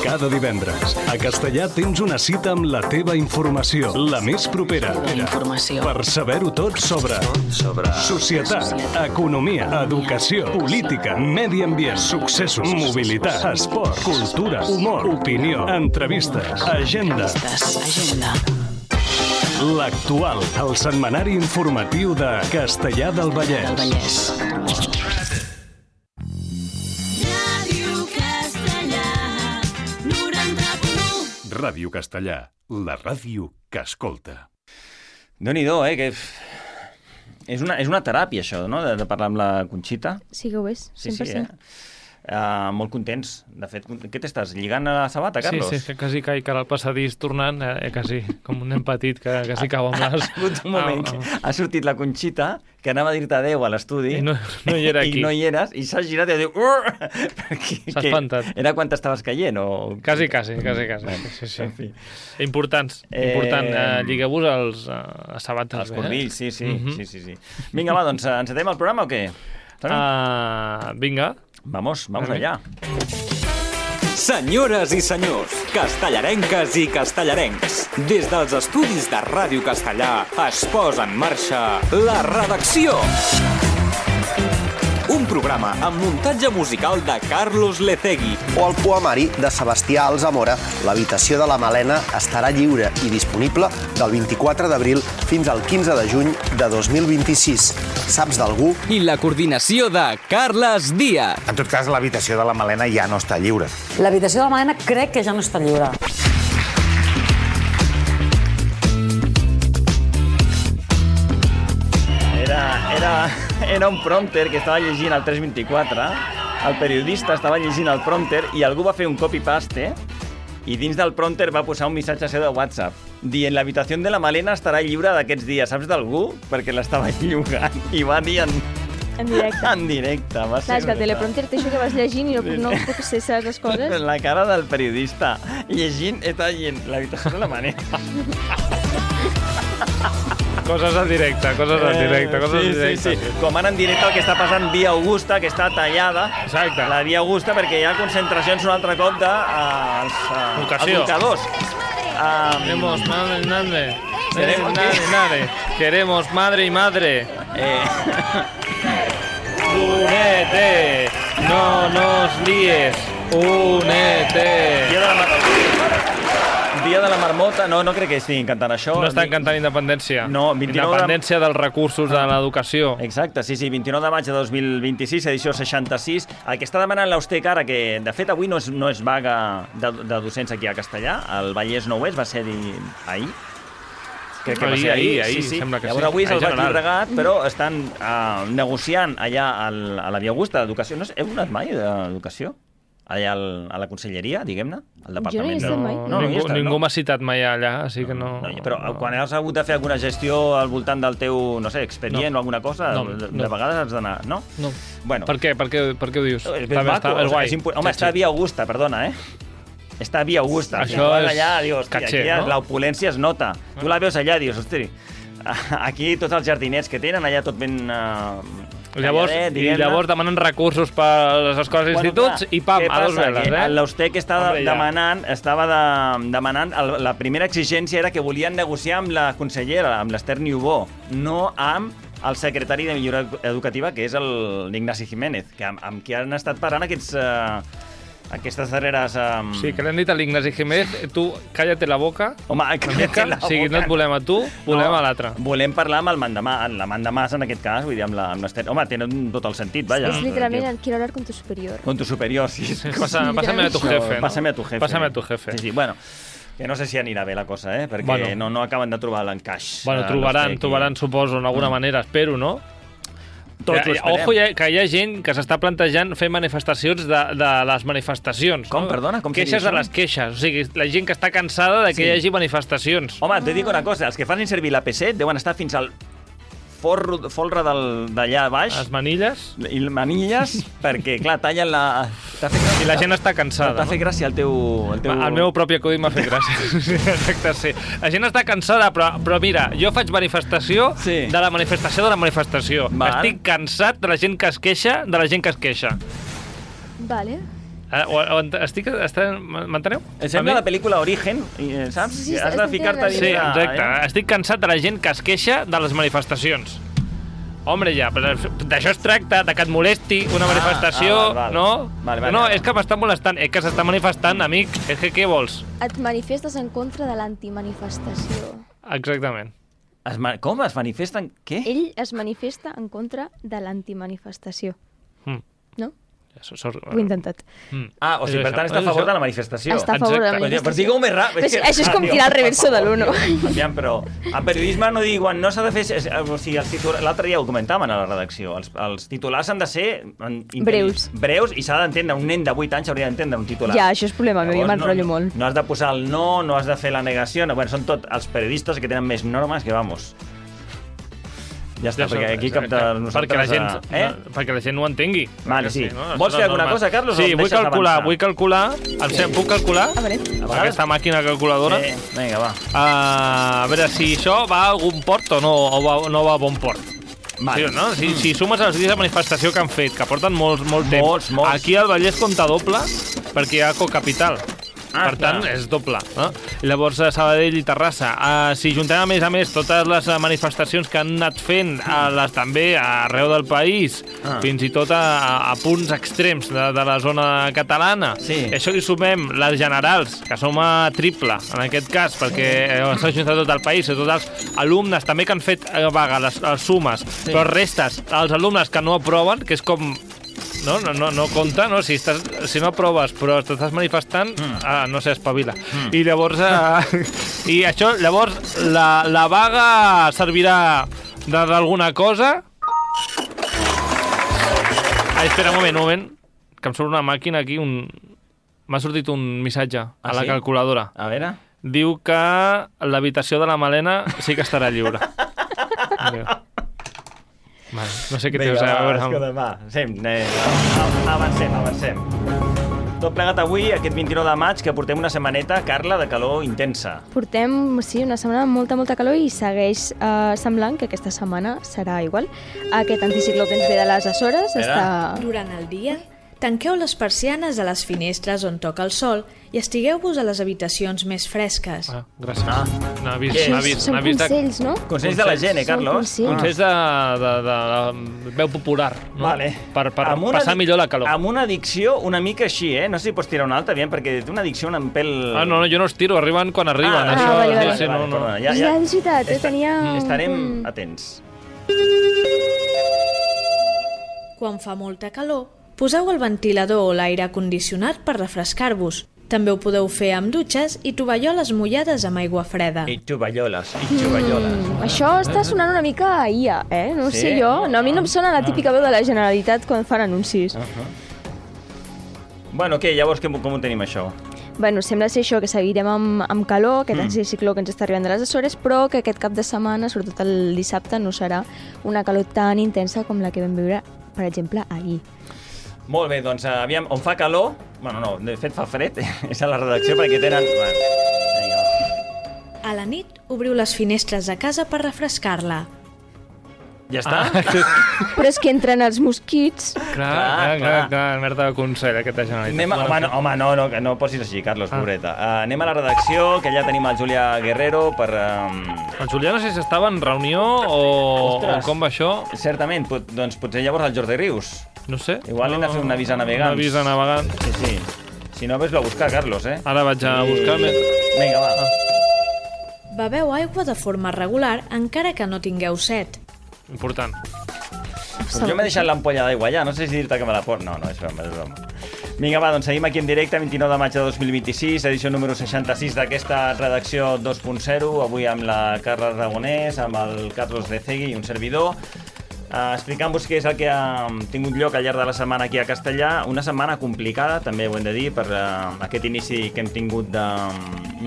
Cada divendres, a Castellà tens una cita amb la teva informació, la més propera. Informació. Per saber-ho tot sobre... sobre... Societat, Societat, economia, educació, política, medi ambient, successos, mobilitat, esport, cultura, humor, opinió, entrevistes, agenda. Agenda. L'actual, el setmanari informatiu de Castellà del Vallès. Del Vallès. Ràdio Castellà, la ràdio que escolta. Déu-n'hi-do, eh? Que... És una, és una teràpia, això, no?, de, de parlar amb la Conxita. Sí que ho és, cent per cent. Sí, sí, eh? Uh, molt contents. De fet, què t'estàs lligant a la sabata, Carlos? Sí, sí, que quasi caic ara al passadís tornant, eh, quasi, com un nen petit que quasi cau amb les... Ha sigut un moment ah, ah. Ha sortit la Conxita, que anava a dir-te adéu a l'estudi, i no, no hi era aquí. I no hi eres, i s'ha girat i diu... S'ha espantat. Era quan t'estaves caient, o...? Quasi, quasi, quasi, quasi. Sí, sí. En fi. Importants, important. Eh... Uh, Lligueu-vos els uh, sabates. Els cornills, eh? sí, sí, mm-hmm. sí, sí, sí. Vinga, va, doncs encetem el programa o què? Uh, vinga. Vamos, vamos allà. Senyores i senyors, castellarenques i castellarencs, des dels estudis de Ràdio Castellà es posa en marxa La Redacció. Un programa amb muntatge musical de Carlos Lecegui. O el poemari de Sebastià Alzamora, L'habitació de la Malena, estarà lliure i disponible del vint-i-quatre d'abril fins al quinze de juny de dos mil vint-i-sis. Saps d'algú? I la coordinació de Carles Díaz. En tot cas, l'habitació de la Malena ja no està lliure. L'habitació de la Malena crec que ja no està lliure. Era, era, era un prompter que estava llegint al tres vint-i-quatre, el periodista estava llegint el prompter i algú va fer un copy-paste i dins del prompter va posar un missatge seu de WhatsApp dient l'habitació de la Malena estarà lliure d'aquests dies. Saps d'algú? Perquè l'estava llogant i va dir en... En directe. En directe. Va Clar, és que el teleprompter té això que vas llegint i no, no puc ser saps les coses. La cara del periodista llegint, està llegint l'habitació de la Malena. Coses en directe, coses en directe, coses sí, en directe. Sí, sí. Com ara en directe el que està passant Via Augusta, que està tallada. Exacte. La Via Augusta, perquè hi ha concentracions un altre cop de uh, els uh, educadors. Um, Queremos madre y madre. Queremos madre y madre. Queremos madre y madre. Eh... Únete, no nos líes. Únete. Dia de la marmota. Dia de la marmota. No, no crec que estiguin cantant això. No estan cantant independència. No, vint-i-nou independència de... dels recursos de l'educació. Exacte, sí, sí, vint-i-nou de maig de dos mil vint-i-sis, edició seixanta-sis. El que està demanant l'Austec ara, que de fet avui no és, no és vaga de, de docents aquí a Castellà, el Vallès no ho és, va ser ahir. Crec que va ser ahir, ahir, sí, sí. Sembla que Llavors sí. avui és el Baix Llobregat, però estan uh, negociant allà al, a la Via Augusta d'Educació. No sé, heu anat mai d'Educació? Allà al, a la conselleria, diguem-ne? Al departament. Jo no hi he estat mai. No, no, ningú estat, ningú no? m'ha citat mai allà, així que no... no però no. Quan has hagut de fer alguna gestió al voltant del teu, no sé, expedient no. o alguna cosa, no, de, de no. vegades has d'anar, no? No. Bueno. Per què? Per què, per què ho dius? És ben maco. És guai. És impu... Home, està a Via Augusta, perdona, eh? Està a Via Augusta. Això és allà, dius, caché, aquí no? L'opulència es nota. Tu la veus allà, dius, hosti, aquí tots els jardinets que tenen, allà tot ben... Uh, Llavors, calladet, I llavors demanen recursos per les escoles i instituts i pam, a dos veles, eh? L'Austec estava demanant, estava de, demanant el, la primera exigència era que volien negociar amb la consellera, amb l'Esther Niubó, no amb el secretari de Millora Educativa, que és l'Ignasi Jiménez, que amb, amb qui han estat parlant aquests... Uh, aquestes darreres... Um... Sí, que l'han dit a l'Ignasi Jiménez, tu cállate la boca. Home, cállate la boca. O sigui, no et volem a tu, volem no, a l'altre. Volem parlar amb el mandamà, la mandamàs en aquest cas, vull dir, amb l'Esther. Home, tenen tot el sentit, vaja. És literalment, quiero hablar con tu superior. Con tu superior, sí. sí, sí. Pasa, pásame a tu jefe, no? Pásame a tu jefe. Pásame a tu jefe. Sí, sí, bueno... Que no sé si anirà bé la cosa, eh? Perquè bueno. no, no acaben de trobar l'encaix. Bueno, trobaran, trobaran, suposo, d'alguna mm. manera, espero, no? Tots que, ojo, hi ha, que hi ha gent que s'està plantejant fer manifestacions de, de les manifestacions. Com, no? perdona? Com queixes de les queixes. O sigui, la gent que està cansada de que sí. hi hagi manifestacions. Home, t'he dit una cosa, els que fan servir l'A P set deuen estar fins al forro, folre d'allà baix. Les manilles. I les manilles, perquè, clar, tallen la... I la gent està cansada. T'ha fet gràcia el teu... El, teu... el meu propi acudit m'ha fet gràcia. Exacte, sí. La gent està cansada, però, però mira, jo faig manifestació sí. de la manifestació de la manifestació. Val. Estic cansat de la gent que es queixa, de la gent que es queixa. Vale. Eh, o, o, estic... M'enteneu? Em sembla la pel·lícula Origen, saps? Sí, sí, Has de ficar-te dins... Sí, exacte. Eh? Estic cansat de la gent que es queixa de les manifestacions. Hombre, ja, però d'això es tracta, de que et molesti una manifestació, ah, ah, val, val. no? Vale, vale, no, vale. És que m'està molestant, és que s'està manifestant, amic. És que què vols? Et manifestes en contra de l'antimanifestació. Exactament. Es ma... Com? Es manifesten? Què? Ell es manifesta en contra de l'antimanifestació. Mm. No? Eso, eso, Ho he intentat. Mm. Ah, o sigui, per tant, està a favor de la manifestació. Està a favor de la manifestació. Però digue-ho més ràpid. Però això és com tirar el reverso de l'uno. Aviam, però en periodisme no diuen, no s'ha de fer... O sigui, l'altre dia ho comentàvem a la redacció, els, els titulars han de ser... Breus. Breus, i s'ha d'entendre, un nen de vuit anys hauria d'entendre un titular. Ja, això és problema meu, jo m'enrotllo no, molt. No has de posar el no, no has de fer la negació, no, bueno, són tot els periodistes que tenen més normes que, vamos... Ja està, ja perquè aquí cap de nosaltres... Perquè la gent, eh? no, perquè la gent no ho entengui. Vale, sí. sí no? Vols fer alguna cosa, Carlos? Sí, vull calcular, vull calcular... Em sí. Puc calcular? A veure. Aquesta màquina calculadora. Sí, vinga, va. Uh, a veure, si això va a algun port o no, o va, no va a bon port. Vale. Sí, no? Si, mm. si sumes els dies de manifestació que han fet, que porten molt, molt temps, molts, molts. Aquí al Vallès compta doble, perquè hi ha Cocapital. Ah, per tant, clar. és doble. No? I llavors, a Sabadell i Terrassa. Uh, si juntem, a més a més, totes les manifestacions que han anat fent, uh, les també arreu del país, ah. fins i tot a, a punts extrems de, de la zona catalana, sí. això li sumem les generals, que som a triple, en aquest cas, perquè s'ha juntat tot el país, i tots els alumnes també que han fet a vaga les, les sumes, sí. però restes, els alumnes que no aproven, que és com... No, no, no, no compta, no? Si, estàs, si no aproves però t'estàs manifestant, mm. ah, no sé, espavila. Mm. I llavors... Eh, I això, llavors, la, la vaga servirà d'alguna cosa? Ai, espera, un moment, un moment, que em surt una màquina aquí, un... m'ha sortit un missatge a ah, la sí? calculadora. A veure... Diu que l'habitació de la Malena sí que estarà lliure. Vale, no sé què Vinga, tens a veure. Va, escolta, va, sem, eh, avancem, avancem. Tot plegat avui, aquest vint-i-nou de maig, que portem una setmaneta, Carla, de calor intensa. Portem, sí, una setmana amb molta, molta calor i segueix eh, semblant que aquesta setmana serà igual. Aquest anticicló que ens ve de les Açores està... Durant el dia, tanqueu les persianes a les finestres on toca el sol i estigueu-vos a les habitacions més fresques. Ah, gràcies. Ah, n'ha vist, n'ha vist, són vist consells, de... no? Consells de la gent, eh, Carlos? Consells, consells de, de, de, de veu popular, no? Vale. Per, per passar millor la calor. Amb una addicció una mica així, eh? No sé si pots tirar una altra, aviam, perquè té una addicció un pèl... Ah, no, no, jo no els tiro, arriben quan arriben. Ah, això, ah vale, vale. Sí, no, no. Perdona, ja, ja, és veritat, eh? Tenia... Estarem un... atents. Quan fa molta calor, poseu el ventilador o l'aire condicionat per refrescar-vos. També ho podeu fer amb dutxes i tovalloles mullades amb aigua freda. I tovalloles, i tovalloles. Mm, això està sonant una mica a I A, eh? No sí? sé jo. No, a mi no em sona la típica veu de la Generalitat quan fan anuncis. Uh -huh. Bueno, què? Llavors com, com ho tenim, això? Bueno, sembla ser això, que seguirem amb, amb calor, aquest mm. anticicló que ens està arribant de les Açores, però que aquest cap de setmana, sobretot el dissabte, no serà una calor tan intensa com la que vam viure, per exemple, ahir. Molt bé, doncs aviam, on fa calor, bueno, no, de fet fa fred, és a la redacció perquè tenen... Bueno, vinga. A la nit, obriu les finestres de casa per refrescar-la. Ja està? Però és que entren els mosquits. Clar, clar, clar, clar, merda de consell, aquesta Generalitat. Anem a, home, no, home, no, no, no posis així, Carlos, ah. pobreta. Uh, anem a la redacció, que allà tenim el Julià Guerrero per... Um... El Julià no sé si estava en reunió o, o com va això. Certament, pot, doncs potser llavors el Jordi Rius. No sé. Igual no, hem de fer un avís a navegants. Un avís a navegants. Sí, sí. Si no, ves-lo a buscar, Carlos, eh? Ara vaig a I... buscar. Vinga, va. Ah. Beveu aigua de forma regular, encara que no tingueu set. Important. Pues jo m'he deixat l'ampolla d'aigua allà, no sé si dir-te que me la porto. No, no, és broma, és broma. Vinga, va, doncs seguim aquí en directe, vint-i-nou de maig de dos mil vint-i-sis, edició número seixanta-sis d'aquesta redacció dos punt zero, avui amb la Carla Aragonès, amb el Carlos Recegui i un servidor, uh, explicant-vos què és el que ha tingut lloc al llarg de la setmana aquí a Castellà, una setmana complicada, també ho hem de dir, per uh, aquest inici que hem tingut de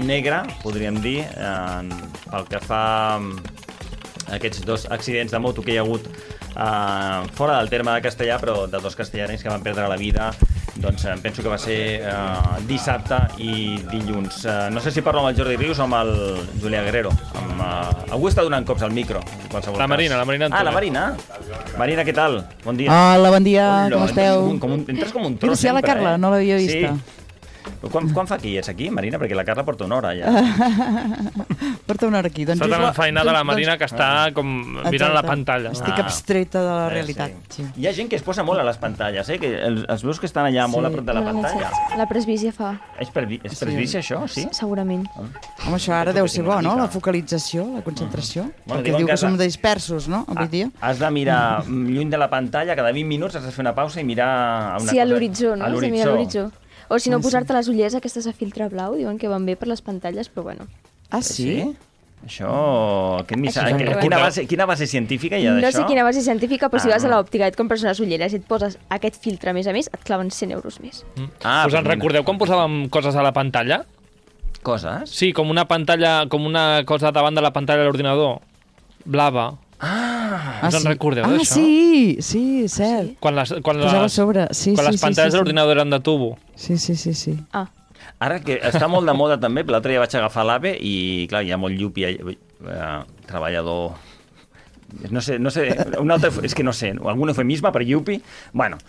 negre, podríem dir, uh, pel que fa a aquests dos accidents de moto que hi ha hagut Uh, fora del terme de Castellà, però de dos castellanencs que van perdre la vida, doncs uh, penso que va ser uh, dissabte i dilluns. Uh, no sé si parlo amb el Jordi Rius o amb el Julià Guerrero. Amb, uh, algú està donant cops al micro. La Marina, cas. la Marina Ah, la Marina. Marina, què tal? Bon dia. Hola, bon dia, Hola, com esteu? Com un, com un, entres com un tros Mira, si sempre, la Carla, eh? no l'havia vista. Sí. Quan, quan fa que hi ets aquí, Marina? Perquè la Carla porta una hora ja. Porta una hora aquí. Doncs està tan enfeinada la Marina que està com mirant Exacte. la pantalla. Estic abstreta de la eh, realitat. Sí. Sí. Hi ha gent que es posa molt a les pantalles, eh? Que els, els veus que estan allà sí. molt a prop de la pantalla. La presbícia fa. És, per, és presbícia, sí. això? Sí? Segurament. Ah. Home, això ara deu ser bo, no? La focalització, la concentració. Uh-huh. Bueno, perquè diu que, que som dispersos, no? Avui dia. Has de mirar lluny de la pantalla, cada vint minuts has de fer una pausa i mirar a una sí, cosa. a l'horitzó, no? A l'horitzó. O si no, posar-te les ulleres aquestes a filtre blau, diuen que van bé per les pantalles, però bueno. Ah, sí? sí? Això... Aquest missatge, Això quina, base, quina base científica hi ha d'això? No sé quina base científica, però ah, si vas a l'òptica i et compres unes ulleres i et poses aquest filtre, a més a més, et claven cent euros més. Mm. Ah, Us en recordeu quan posàvem coses a la pantalla? Coses? Sí, com una pantalla, com una cosa davant de la pantalla de l'ordinador. Blava. Ah, us en sí. recordeu ah, d'això? Sí, sí, cert. Quan les, quan les, sobre. Sí, quan sí, les pantalles sí, sí, de l'ordinador eren de tubo. Sí, sí, sí, sí. Ah. Ara que està molt de moda també, l'altre dia vaig agafar l'AVE i, clar, hi ha molt llupi, eh, treballador... No sé, no sé, un altre... És que no sé, algun eufemisme per llupi... Bueno,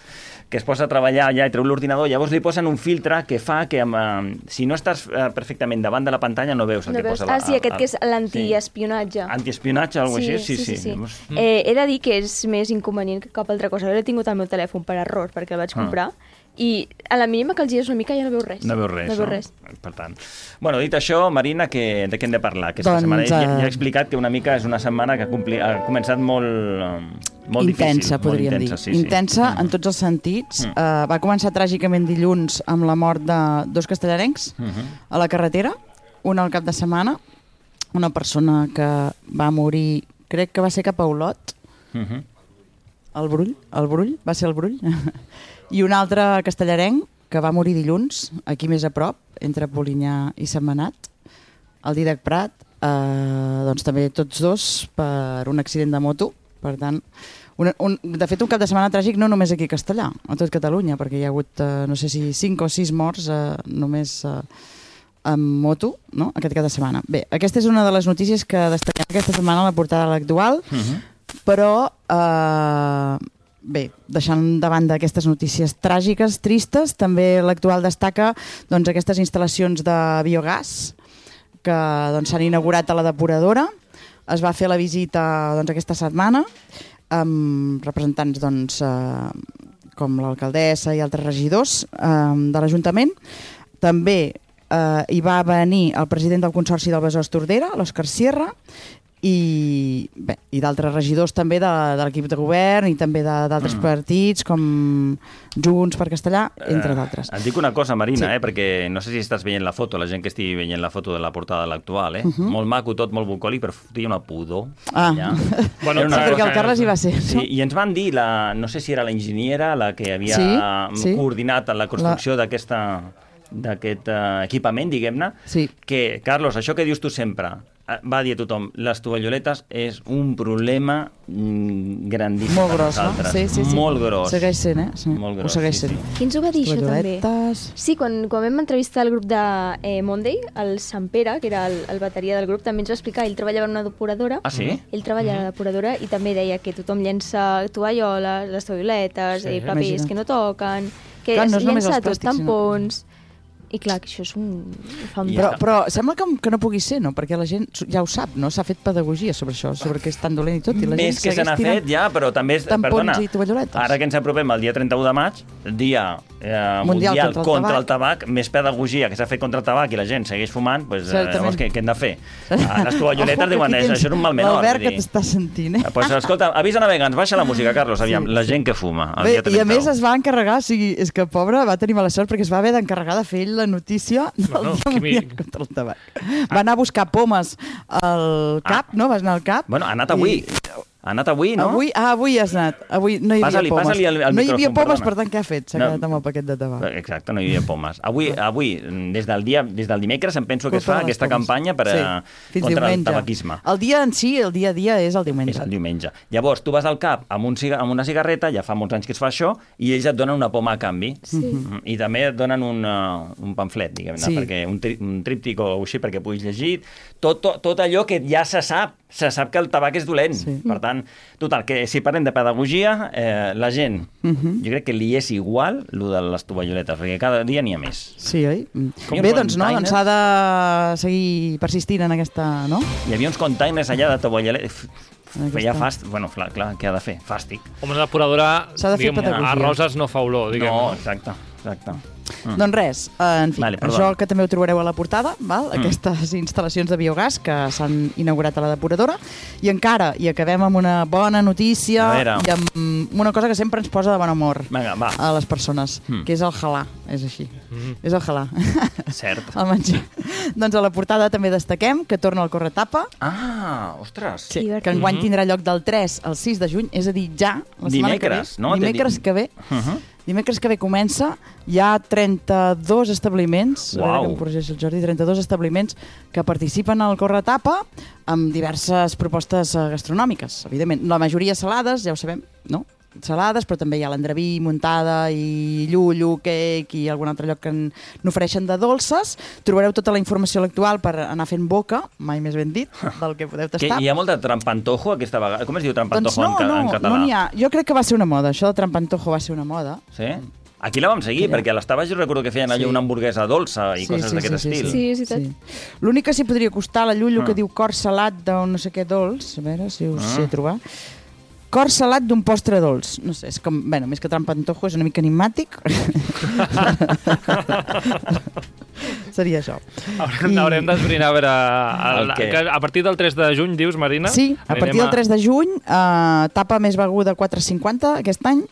que es posa a treballar allà i treu l'ordinador, llavors li posen un filtre que fa que eh, si no estàs eh, perfectament davant de la pantalla no veus el no que veus. posa. Ah, la, sí, aquest sí. que és l'antiespionatge. Sí. Antiespionatge, alguna sí, cosa així? Sí, sí, sí. sí. sí. Eh, he de dir que és més inconvenient que cap altra cosa. Jo l'he tingut al meu telèfon per error, perquè el vaig comprar, ah. i a la mínima que el gires una mica ja no veus res. No veus res, no? Veus res. Per tant. Bueno, dit això, Marina, que, de què hem de parlar aquesta doncs, setmana? Ja, uh... ja he explicat que una mica és una setmana que ha, compli... ha començat molt, molt intensa, difícil. podríem molt intensa, dir. Sí, intensa sí. en tots els sentits. Mm. Uh, va començar tràgicament dilluns amb la mort de dos castellarencs mm -hmm. a la carretera, una al cap de setmana, una persona que va morir, crec que va ser cap a Olot, mm -hmm. el Brull, el Brull, va ser el Brull, i un altre castellarenc que va morir dilluns, aquí més a prop, entre Polinyà i Sentmenat, el Dídac Prat, eh, doncs també tots dos per un accident de moto. Per tant, un, un, de fet, un cap de setmana tràgic no només aquí a Castellà, a tot Catalunya, perquè hi ha hagut, eh, no sé si cinc o sis morts eh, només eh, amb moto, no?, aquest cap de setmana. Bé, aquesta és una de les notícies que destaquem aquesta setmana a la portada de l'Actual, uh-huh. però... Eh, Bé, deixant de banda aquestes notícies tràgiques, tristes, també l'Actual destaca doncs, aquestes instal·lacions de biogàs que doncs, s'han inaugurat a la depuradora. Es va fer la visita doncs, aquesta setmana amb representants doncs, eh, com l'alcaldessa i altres regidors eh, de l'Ajuntament. També eh, hi va venir el president del Consorci del Besòs Tordera, l'Òscar Sierra, i, bé, i d'altres regidors també de, de l'equip de govern i també d'altres mm. partits com Junts per Castellà, entre d'altres. Uh, et dic una cosa, Marina, sí. eh, perquè no sé si estàs veient la foto, la gent que estigui veient la foto de la portada de l'Actual, eh? Uh-huh. Molt maco tot, molt bucòlic, però fotia una pudor. Ah, bueno, sí, perquè el Carles hi va ser. Sí, no? I ens van dir, la, no sé si era la enginyera la que havia sí, sí. coordinat la construcció la... d'aquesta d'aquest uh, equipament, diguem-ne, sí. que, Carlos, això que dius tu sempre, va dir a tothom, les tovalloletes és un problema grandíssim. Molt gros, no? Sí, sí, sí. Molt gros. Segueix sent, eh? Sí. Molt gros, Ho segueix sí, sent. sí. Qui ens ho va dir, això, també? Tovalloletes... Sí, quan, quan vam entrevistar el grup de eh, Monday, el Sant Pere, que era el, el bateria del grup, també ens va explicar, ell treballava en una depuradora. Ah, sí? Ell treballa a la depuradora i també deia que tothom llença tovalloles, les tovalloletes, Sí, eh, papers imagina't. que no toquen, que Clar, es no és només llença els tot, plàstics, sinó- tampons... I clar, que això és un... Fa un Però, però sembla que, que no pugui ser, no? Perquè la gent ja ho sap, no? S'ha fet pedagogia sobre això, sobre que és tan dolent i tot. I la Més gent que se n'ha segueix tirant fet, ja, però també... És, tampons perdona, i tovalloletes. ara que ens apropem al dia trenta-u de maig, dia eh, Mundial mundial contra el contra el tabac. tabac, més pedagogia que s'ha fet contra el tabac i la gent segueix fumant, doncs, eh, Certament. llavors, què, què hem de fer? Ah, les tovalloletes Ojo, que diuen, aquí això tens és un mal menor. L'Albert vull que dir. t'està sentint, eh? Pues, escolta, avisa navegants, baixa la música, Carlos, aviam, Sí, la gent que fuma el Bé, dia i a trenta-u. més es va encarregar, o sigui, és que pobre va tenir mala sort perquè es va haver d'encarregar de fer ell la notícia del Bueno, Dia que mi- Mundial contra el tabac. Va anar a buscar pomes al cap, no? Vas anar al cap. Bueno, ha anat avui. Ha anat avui, no? Avui, ah, avui has anat. Avui no hi havia Passa-li, pomes. passa-li el- el no hi havia micròfon, pomes, perdona. per tant, què ha fet? S'ha No. quedat amb el paquet de tabac. Exacte, no hi havia pomes. Avui, avui des del dia, des del dimecres, em penso que es Culpa fa de les aquesta pomes. campanya per, Sí, a, fins contra el diumenge. tabaquisme. El dia en si, el dia a dia, és el diumenge. És el diumenge. Llavors, tu vas al cap amb, un ciga amb una cigarreta, ja fa molts anys que es fa això, i ells et donen una poma a canvi. Sí. Mm, I també et donen un, uh, un pamflet, diguem-ne, Sí. perquè un, tri un tríptic o així perquè puguis llegir. Tot, tot, tot allò que ja se sap. Se sap que el tabac és dolent. Sí. Per tant, total, que si parlem de pedagogia, eh, la gent, uh -huh. jo crec que li és igual el de les tovalloletes, perquè cada dia n'hi ha més. Sí, oi? Com Bé, doncs no, containers. doncs s'ha de seguir persistint en aquesta, no? Hi havia uns containers allà de tovalloletes. Aquí Feia està. fàstic. Bueno, clar, clar, què ha de fer? Fàstic. Home, una depuradora, S'ha de fer diguem, pedagogia. a roses no fa olor, diguem. No, exacte, exacte. Mm. Doncs res, eh, en fi, Vale, vale, perdona. això que també ho trobareu a la portada, val? Mm. Aquestes instal·lacions de biogàs que s'han inaugurat a la depuradora, i encara, i acabem amb una bona notícia A veure. i amb una cosa que sempre ens posa de bon humor Vinga, va. a les persones, Mm. que és el halà, és així, Mm. és el halà. Cert. El menjar. Doncs a la portada també destaquem que torna el corretapa, Ah, ostres. sí, que enguany Mhm. tindrà lloc del tres al sis de juny, és a dir, ja, la setmana Dimecres, que ve, no? dimecres que ve, Uh -huh. Dimecres que ve comença, hi ha trenta-dos establiments, a veure Uau. que em corregeix el Jordi, trenta-dos establiments que participen al Corretapa amb diverses propostes eh, gastronòmiques, evidentment. La majoria salades, ja ho sabem, no? Salades, però també hi ha l'endraví, muntada i llullo, cake i algun altre lloc que en- n'ofereixen de dolces. Trobareu tota la informació a l'actual per anar fent boca, mai més ben dit, del que podeu Que tastar. hi ha molt de trampantojo aquesta vegada. Com es diu Doncs trampantojo no, en, ca no, en català? no n'hi ha. Jo crec que va ser una moda, això de trampantojo va ser una moda. Sí? Aquí la vam seguir, Mira. perquè a les taves jo recordo que feien allò Sí. una hamburguesa dolça i coses d'aquest estil. Sí, és veritat. Sí. L'únic que s'hi podria costar, la llullo Ah. que diu cor salat d'un no sé què dolç, a veure si us Ah. sé trobar. Cor salat d'un postre dolç. No sé, és com, bueno, més que trampantojo, és una mica enigmàtic. Seria això. Haurem, I... haurem d'esbrinar a veure... El, El què? que a partir del tres de juny, dius, Marina? Sí, a partir del tres de juny, eh, tapa més beguda quatre cinquanta aquest any,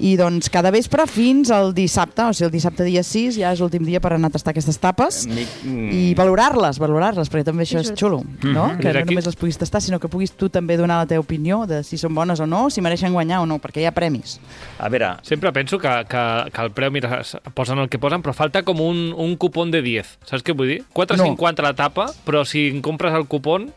i doncs cada vespre fins al dissabte, o sigui, el dissabte dia sis ja és l'últim dia per anar a tastar aquestes tapes Mi- mm. i valorar-les, valorar-les, perquè també això és xulo, no? Mhm. Que Des no d'aquí- només les puguis tastar, sinó que puguis tu també donar la teva opinió de si són bones o no, si mereixen guanyar o no, perquè hi ha premis. A veure, Sempre penso que, que, que el preu, mira, s- posen el que posen, però falta com un, un cupón de diez. Saps què vull dir? quatre cinquanta la tapa, però si en compres el cupón...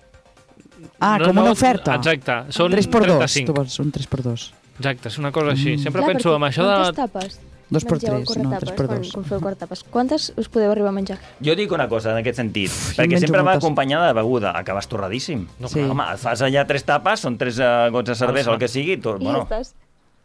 Ah, no, com no, una oferta. Exacte, són tres per dos, trenta-cinc. tu vols un tres per dos. Exacte, és una cosa així. Mm. Sempre Clar, penso perquè en això quantes de... tapes Dos per mengeu al tres, no, tres per corretapes, dos. Quan, quan feu corretapes? Quantes us podeu arribar a menjar? jo dic una cosa en aquest sentit, Uf, perquè menjo sempre va moltes. acompanyada de beguda. Acabes torradíssim. No, Sí. Home, et fas allà tres tapes, són tres uh, gots de cervesa o el que sigui. Tu, I bueno, ja estàs.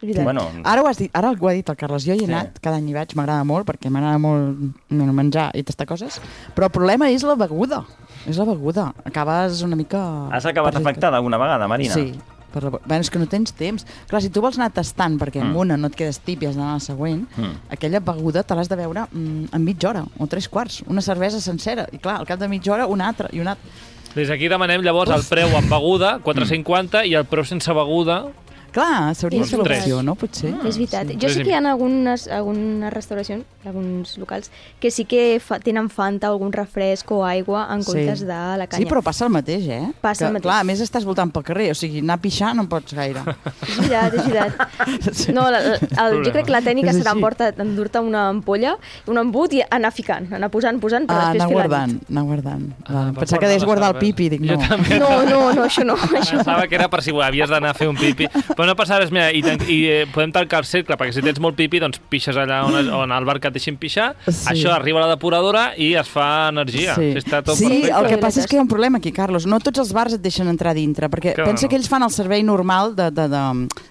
És veritat. bueno, Ara ho has dit, ara ho ha dit el Carles, jo hi he Sí. anat, cada any hi vaig, m'agrada molt, perquè m'agrada molt bueno, menjar i tastar coses, però el problema és la beguda, és la beguda, acabes una mica... has acabat perjudicat. afectada alguna vegada, Marina? Sí, per la... bueno, és que no tens temps. Clar, si tu vols anar tastant, perquè amb Mm. una no et quedes tip i has d'anar a la següent, Mm. aquella beguda te l'has de beure mm, en mitja hora o tres quarts, una cervesa sencera, i clar, al cap de mitja hora una altra i una altra. Des d'aquí demanem llavors el preu amb beguda, quatre cinquanta, i el preu sense beguda, Clar, s'hauria de ser l'opció, no? Potser. Ah, és veritat. Sí. Jo sé que hi ha algunes, algunes restauracions, alguns locals, que sí que fa, tenen Fanta, algun refresc o aigua en comptes sí. de la canya. Sí, però passa el mateix, eh? Passa que, el mateix. Clar, a més estàs voltant pel carrer, o sigui, anar a pixar no en pots gaire. És veritat, és veritat. No, la, la, el, jo crec que la tècnica serà endur-te una ampolla, un embut i anar ficant, anar posant, posant, però ah, després anar fer guardant, anar guardant. Ah, Pensava que deies guardar el pipi, dic no. No, no, no, això no. Això. Pensava que era per si havies d'anar a fer un pipi. Però no passa res, mira, i, i eh, podem tancar el cercle, perquè si tens molt pipi, doncs pixes allà on, on al bar que et deixin pixar, sí. Això arriba a la depuradora i es fa energia. Sí, sí, està tot sí perfecte. El que passa és que hi ha un problema aquí, Carlos. No tots els bars et deixen entrar dintre, perquè que pensa no. que ells fan el servei normal de, de, de,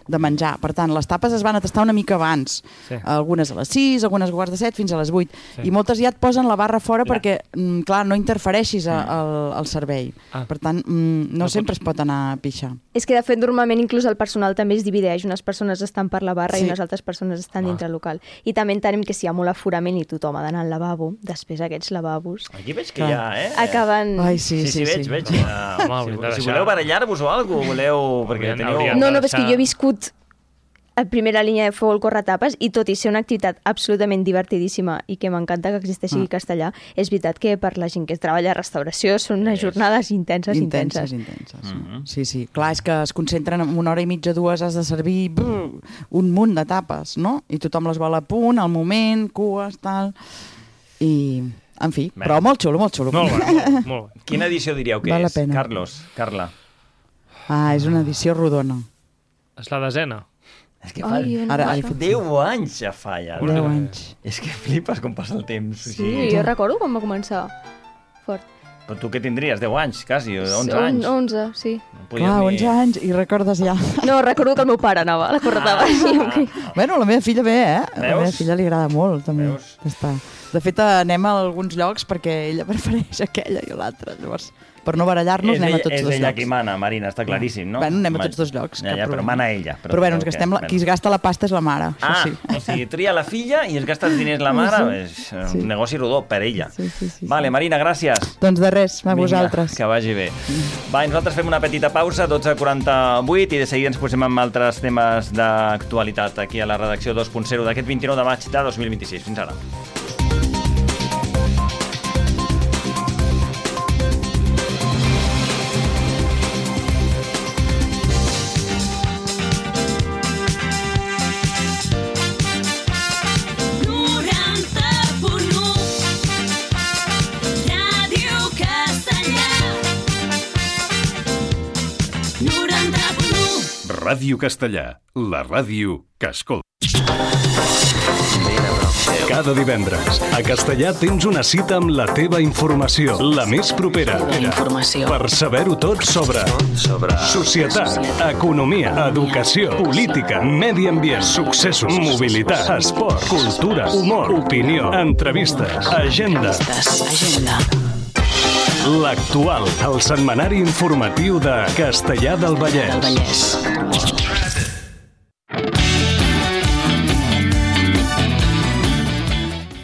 de menjar. Per tant, les tapes es van a tastar una mica abans. Sí. Algunes a les sis, algunes a quarts de set, fins a les vuit. Sí. I moltes ja et posen la barra fora la... perquè, mm, clar, no interfereixis a, al, al servei. Ah. Per tant, mm, no, no sempre pots... es pot anar a pixar. És que, de fet, normalment inclús el personal també es divideix. Unes persones estan per la barra sí. i unes altres persones estan ah. dintre el local. I també entenem que si hi ha molt aforament i tothom ha d'anar al lavabo, després aquests lavabos... Aquí veig que hi ha, eh? Acaben... Ai, sí, sí, sí, sí, veig, sí. veig. Uh, si, si voleu barallar-vos o alguna cosa, voleu... Perquè teniu... No, no, és que jo he viscut a primera línia de fou el corretapes i tot i ser una activitat absolutament divertidíssima i que m'encanta que existeixi ah. castellà, és veritat que per la gent que treballa a restauració són unes jornades intenses, intenses. Intenses, intenses. Mm-hmm. Sí, sí. Clar, és que es concentren en una hora i mitja, dues, has de servir brr, un munt de tapes, no? I tothom les vol a punt, al moment, cues, tal... I... En fi, bé. Però molt xulo, molt xulo. Molt bé, molt, molt bé. Quina edició diríeu que Val és? Carlos, Carla. Ah, és una edició rodona. És la desena. És que fa... Ai, ara, ara, deu anys ja fa, ja. Deu anys. És que flipes com passa el temps. Sí, sí. Jo recordo quan va començar. Fort. Però tu què tindries? deu anys, quasi, onze anys? onze, sí. No Clar, ni... onze anys i recordes ja. No, recordo que el meu pare anava a la corretava. Ah, sí, okay. ah. Bueno, la meva filla ve, eh? Veus? La meva filla li agrada molt, també. Veus? Està. De fet, anem a alguns llocs perquè ella prefereix aquella i l'altra, llavors... Per no barallar-nos, anem a tots dos llocs. És ella qui mana, Marina, està claríssim, no? Bueno, anem a tots dos llocs. Ja, ja, però mana ella. Però, però bueno, ens gastem la... qui es gasta la pasta és la mare. Ah, sí. O sigui, tria la filla i es gasta els diners la mare, és sí. un negoci rodó per ella. Sí, sí, sí, vale, sí. Marina, gràcies. Doncs de res, a vosaltres. Vinga, que vagi bé. Va, nosaltres fem una petita pausa, dotze quaranta-vuit, i de seguida ens posem amb altres temes d'actualitat aquí a la redacció dos punt zero d'aquest vint-i-nou de maig de dos mil vint-i-sis. Fins ara. Ràdio Castellà, la ràdio que escolta. Cada divendres, a Castellà tens una cita amb la teva informació, la més propera, informació. Per saber-ho tot sobre, sobre societat, economia, educació, política, medi ambient, successos, mobilitat, esport, cultura, humor, opinió, entrevistes, agenda. Agenda. L'actual, el setmanari informatiu de Castellà del Vallès. Del Vallès.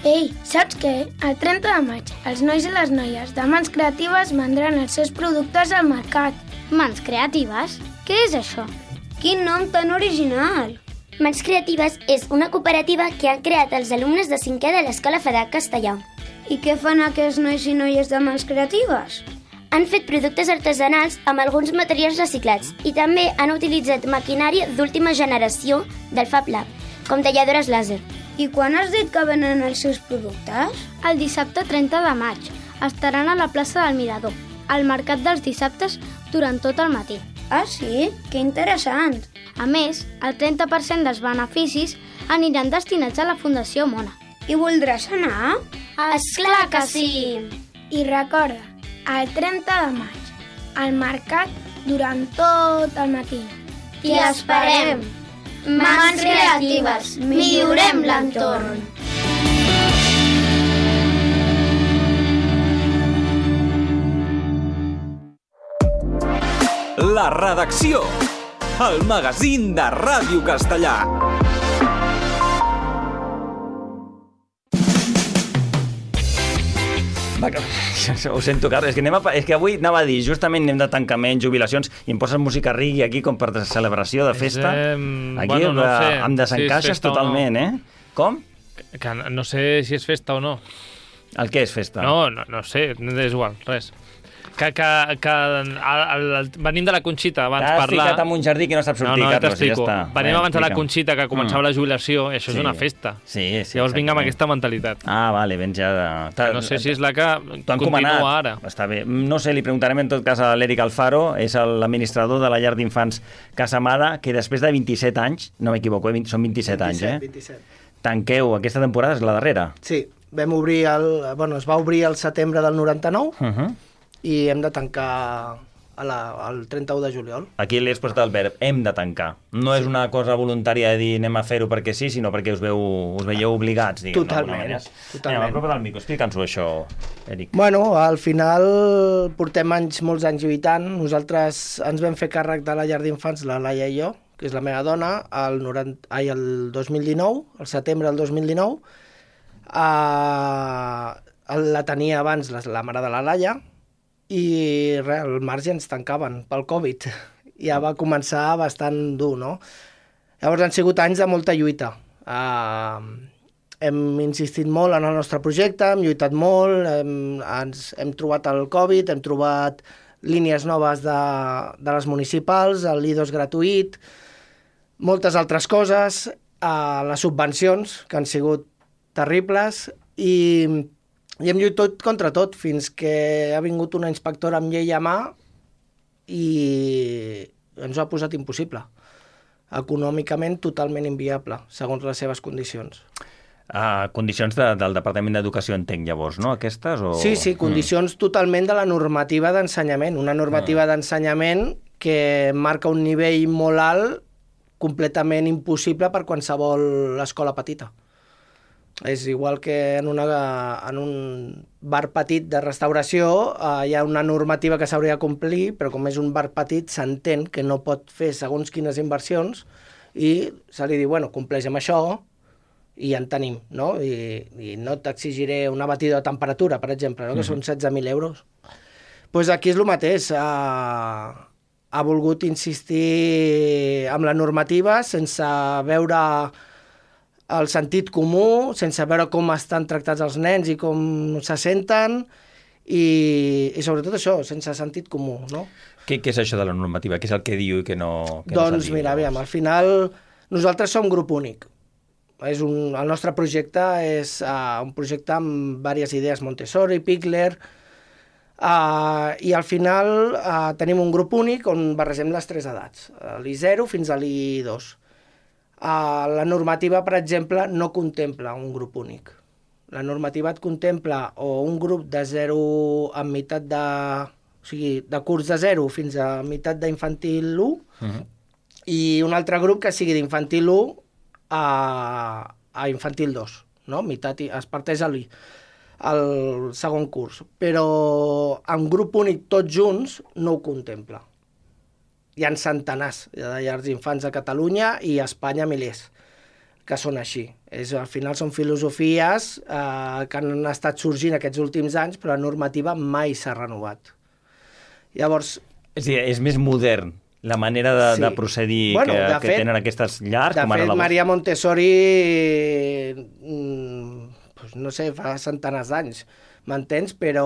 Ei, saps què? El trenta de maig, els nois i les noies de Mans Creatives vendran els seus productes al mercat. Mans Creatives? Què és això? Quin nom tan original! Mans Creatives és una cooperativa que han creat els alumnes de cinquè de l'Escola Federal Castellà. I què fan aquests nois i noies de Mans Creatives? Han fet productes artesanals amb alguns materials reciclats i també han utilitzat maquinària d'última generació del Fab Lab, com talladores làser. I quan has dit que venen els seus productes? El dissabte trenta de maig. Estaran a la plaça del Mirador, al mercat dels dissabtes durant tot el matí. Ah, sí? Que interessant! A més, el trenta per cent dels beneficis aniran destinats a la Fundació Mona. I voldràs anar? Esclar que sí! I recorda, el trenta de maig, al mercat durant tot el matí. T'hi esperem! Mans Creatives, millorem l'entorn! La redacció, el magazín de Ràdio Castellà. Va, ho sento, Carles, és que, anem a, és que avui anava a dir, justament anem de tancaments, jubilacions, i em poses música reggae aquí com per celebració de festa. Eh, aquí bueno, no sé, em desencaixes si totalment, no. eh? Com? Que, que no sé si és festa o no. El què és festa? No, no, no sé, és igual, res. Que, que, que el, el, venim de la Conxita abans T'has parlar... ficat en un jardí que no saps sortir, no, no, Carlos, i ja està. Venim Bé, abans de la explica. Conxita, que començava Mm. la jubilació, i això Sí. és una festa. Sí, sí. Llavors vinc amb exactament. aquesta mentalitat. Ah, vale, vens ja de... Que no sé si és la que T'ho han continua comanat. ara. Està bé. No sé, li preguntarem en tot cas a l'Eric Alfaro, és l'administrador de la llar d'infants Casa Amada, que després de vint-i-set anys, no m'equivoco, eh? són vint-i-set anys, eh? vint-i-set. Tanqueu, aquesta temporada és la darrera. Sí, vam obrir el... Bueno, es va obrir el setembre del noranta-nou Uh -huh. i hem de tancar a la, el trenta-u de juliol. Aquí li has posat el verb, hem de tancar. No sí. és una cosa voluntària de dir anem a fer-ho perquè sí, sinó perquè us, veu, us veieu obligats, diguem, d'alguna manera. Totalment. Anem, apropa del micro, explica'ns-ho això, Eric. Bueno, al final portem anys, molts anys lluitant. Nosaltres ens vam fer càrrec de la llar d'infants, la Laia i jo, que és la meva dona, el, noranta, ai, el dos mil dinou, el setembre del dos mil dinou. Uh, la tenia abans la, la mare de la Laia, i res, al marge ens tancaven pel Covid. Ja va començar bastant dur, no? Llavors han sigut anys de molta lluita. Uh, hem insistit molt en el nostre projecte, hem lluitat molt, hem, ens, hem trobat el Covid, hem trobat línies noves de, de les municipals, el I dos gratuït, moltes altres coses, uh, les subvencions, que han sigut terribles, i... I hem lluitat contra tot, fins que ha vingut una inspectora amb llei a mà i ens ho ha posat impossible. Econòmicament totalment inviable, segons les seves condicions. Uh, condicions de, del Departament d'Educació, entenc, llavors, no? Aquestes? O... Sí, sí, condicions mm. totalment de la normativa d'ensenyament. Una normativa mm. d'ensenyament que marca un nivell molt alt, completament impossible per qualsevol escola petita. És igual que en, una, en un bar petit de restauració eh, hi ha una normativa que s'hauria de complir, però com és un bar petit s'entén que no pot fer segons quines inversions i se li diu, bueno, compleix amb això i ja en tenim, no? I, i no t'exigiré una batida de temperatura, per exemple, no? que mm-hmm. són setze mil euros. Doncs pues aquí és el mateix. Ha, ha volgut insistir amb la normativa sense veure el sentit comú, sense veure com estan tractats els nens i com se senten, i, i sobretot això, sense sentit comú, no? Què, què és això de la normativa? Què és el que diu i que no, que doncs no s'ha dit? Mira, aviam, al final nosaltres som grup únic. És un, el nostre projecte és uh, un projecte amb diverses idees Montessori, Pikler, uh, i al final uh, tenim un grup únic on barregem les tres edats, l'I zero fins a l'I dos. Uh, la normativa, per exemple, no contempla un grup únic. La normativa et contempla o un grup de zero amb meitat de... O sigui, de curs de zero fins a meitat d'infantil u, uh-huh. i un altre grup que sigui d'infantil u a, a infantil dos, no? Meitat, es parteix al, al segon curs. Però en grup únic tots junts no ho contempla. Hi ha centenars de llars d'infants a Catalunya i a Espanya milers que són així. És, al final són filosofies eh, que han estat sorgint aquests últims anys, però la normativa mai s'ha renovat. Llavors... És dir, és més modern la manera de, sí. de procedir bueno, que, de que fet, tenen aquestes llars. De com fet, ara la... Maria Montessori, mm, no sé, fa centenars d'anys, m'entens? Però,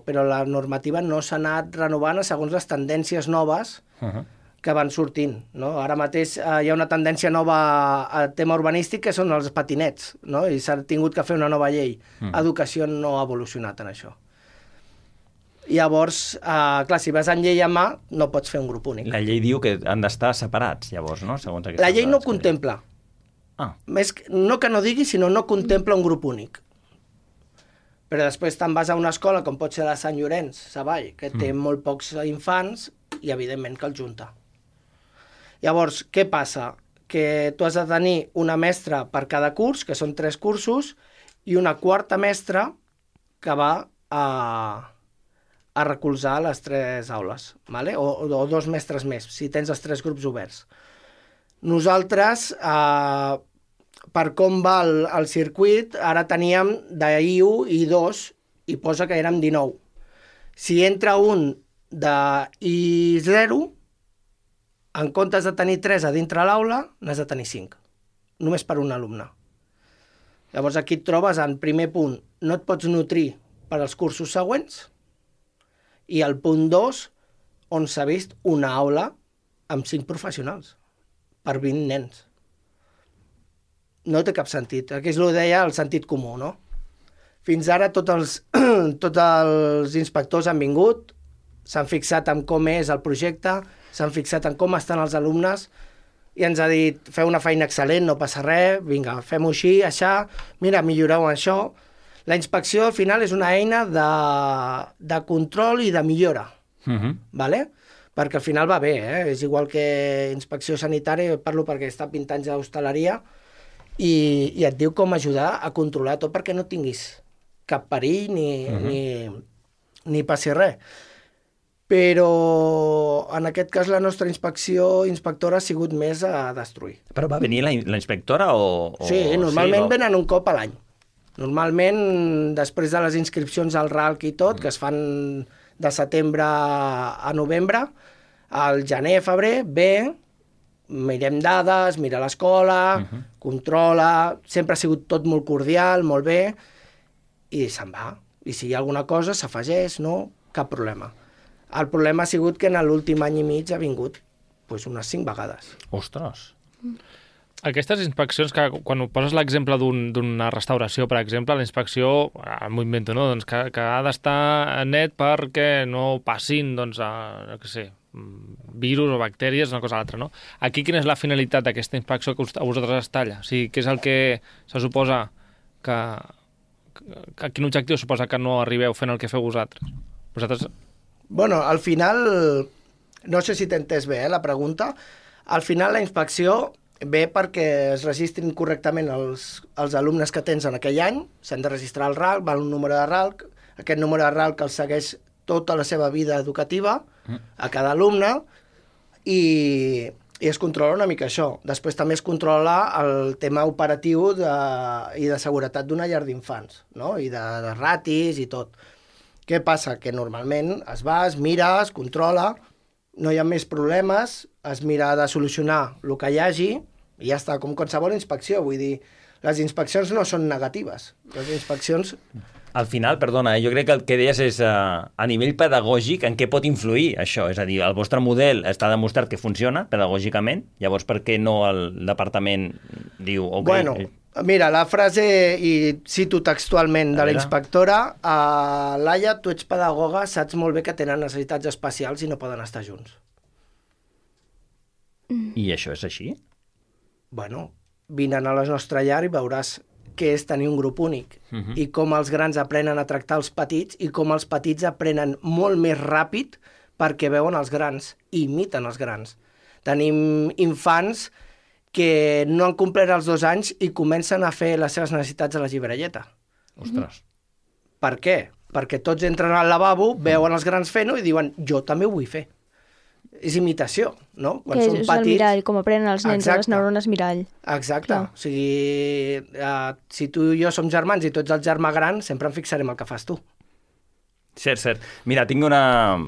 però la normativa no s'ha anat renovant segons les tendències noves uh-huh. que van sortint, no? Ara mateix eh, hi ha una tendència nova a tema urbanístic que són els patinets, no? I s'ha tingut que fer una nova llei. Uh-huh. Educació no ha evolucionat en això. Llavors, eh, clar, si vas en llei a mà, no pots fer un grup únic. La llei diu que han d'estar separats, llavors, no? Segons la llei no contempla. Ah. Més, no que no digui, sinó no contempla un grup únic. Però després te'n vas a una escola, com pot ser la Sant Llorenç, Savall, que té mm. molt pocs infants i, evidentment, que els junta. Llavors, què passa? Que tu has de tenir una mestra per cada curs, que són tres cursos, i una quarta mestra que va a, a recolzar les tres aules, ¿vale? o, o dos mestres més, si tens els tres grups oberts. Nosaltres, eh, per com va el, el circuit, ara teníem d'I u, I dos i posa que érem dinou. Si entra un de I zero, en comptes de tenir tres a dintre l'aula, n'has de tenir cinc, només per un alumne. Llavors aquí et trobes en primer punt, no et pots nutrir per als cursos següents, i el punt dos, on s'ha vist una aula amb cinc professionals, per vint nens. No té cap sentit. Aquí és el que deia el sentit comú, no? Fins ara tots els, tots els inspectors han vingut, s'han fixat en com és el projecte, s'han fixat en com estan els alumnes, i ens ha dit, feu una feina excel·lent, no passa res, vinga, fem-ho així, això, mira, milloreu això. La inspecció, al final, és una eina de, de control i de millora, uh-huh. ¿vale? Perquè al final va bé, eh? És igual que inspecció sanitària, parlo perquè està vint anys d'hostaleria, i, i et diu com ajudar a controlar tot perquè no tinguis cap perill ni, uh-huh. ni, ni passi res. Però en aquest cas la nostra inspecció inspectora ha sigut més a destruir. Però va venir la, la inspectora o, o... Sí, normalment sí, o... venen un cop a l'any. Normalment, després de les inscripcions al R A L C i tot, mm. que es fan de setembre a novembre, al gener, febrer, ve, mirem dades, mira l'escola, uh-huh. controla, sempre ha sigut tot molt cordial, molt bé, i se'n va. I si hi ha alguna cosa, s'afegeix, no? Cap problema. El problema ha sigut que en l'últim any i mig ha vingut pues, unes cinc vegades. Ostres! Aquestes inspeccions, que quan poses l'exemple d'una un, restauració, per exemple, la inspecció, m'ho invento, no? Doncs que, que ha d'estar net perquè no passin, doncs, a, no sé, virus o bactèries, una cosa o l'altra, no? Aquí quina és la finalitat d'aquesta inspecció que a vosaltres es talla? O sigui, què és el que se suposa que... que quin objectiu suposa que no arribeu fent el que feu vosaltres? Vosaltres... Bueno, al final, no sé si t'he entès bé, eh, la pregunta, al final la inspecció ve perquè es registrin correctament els, els alumnes que tens en aquell any, s'han de registrar al R A L C, val un número de R A L C, aquest número de R A L C el segueix tota la seva vida educativa a cada alumne i, i es controla una mica això. Després també es controla el tema operatiu de, i de seguretat d'una llar d'infants, no? I de, de ratis i tot. Què passa? Que normalment es va, es mira, es controla, no hi ha més problemes, es mira de solucionar el que hi hagi i ja està, com qualsevol inspecció. Vull dir, les inspeccions no són negatives. Les inspeccions... Al final, perdona, jo crec que el que deies és uh, a nivell pedagògic en què pot influir això. És a dir, el vostre model està demostrat que funciona pedagògicament, llavors per què no el departament diu... Okay, bueno, mira, la frase, i cito textualment de la inspectora, uh, Laia, tu ets pedagoga, saps molt bé que tenen necessitats especials i no poden estar junts. I això és així? Bueno, vine a la nostra llar i veuràs què és tenir un grup únic uh-huh. i com els grans aprenen a tractar els petits i com els petits aprenen molt més ràpid perquè veuen els grans i imiten els grans. Tenim infants que no han complert els dos anys i comencen a fer les seves necessitats a la llibrelleta. Ostres. Per què? Perquè tots entren al lavabo, veuen els grans fent-ho i diuen, jo també ho vull fer. És imitació, no? Quan que és petits... el mirall, com aprenen els nens, les neurones mirall. Exacte. Clar. O sigui, uh, si tu i jo som germans i tu ets el germà gran, sempre em fixarem el que fas tu. Cert, cert. Mira, tinc una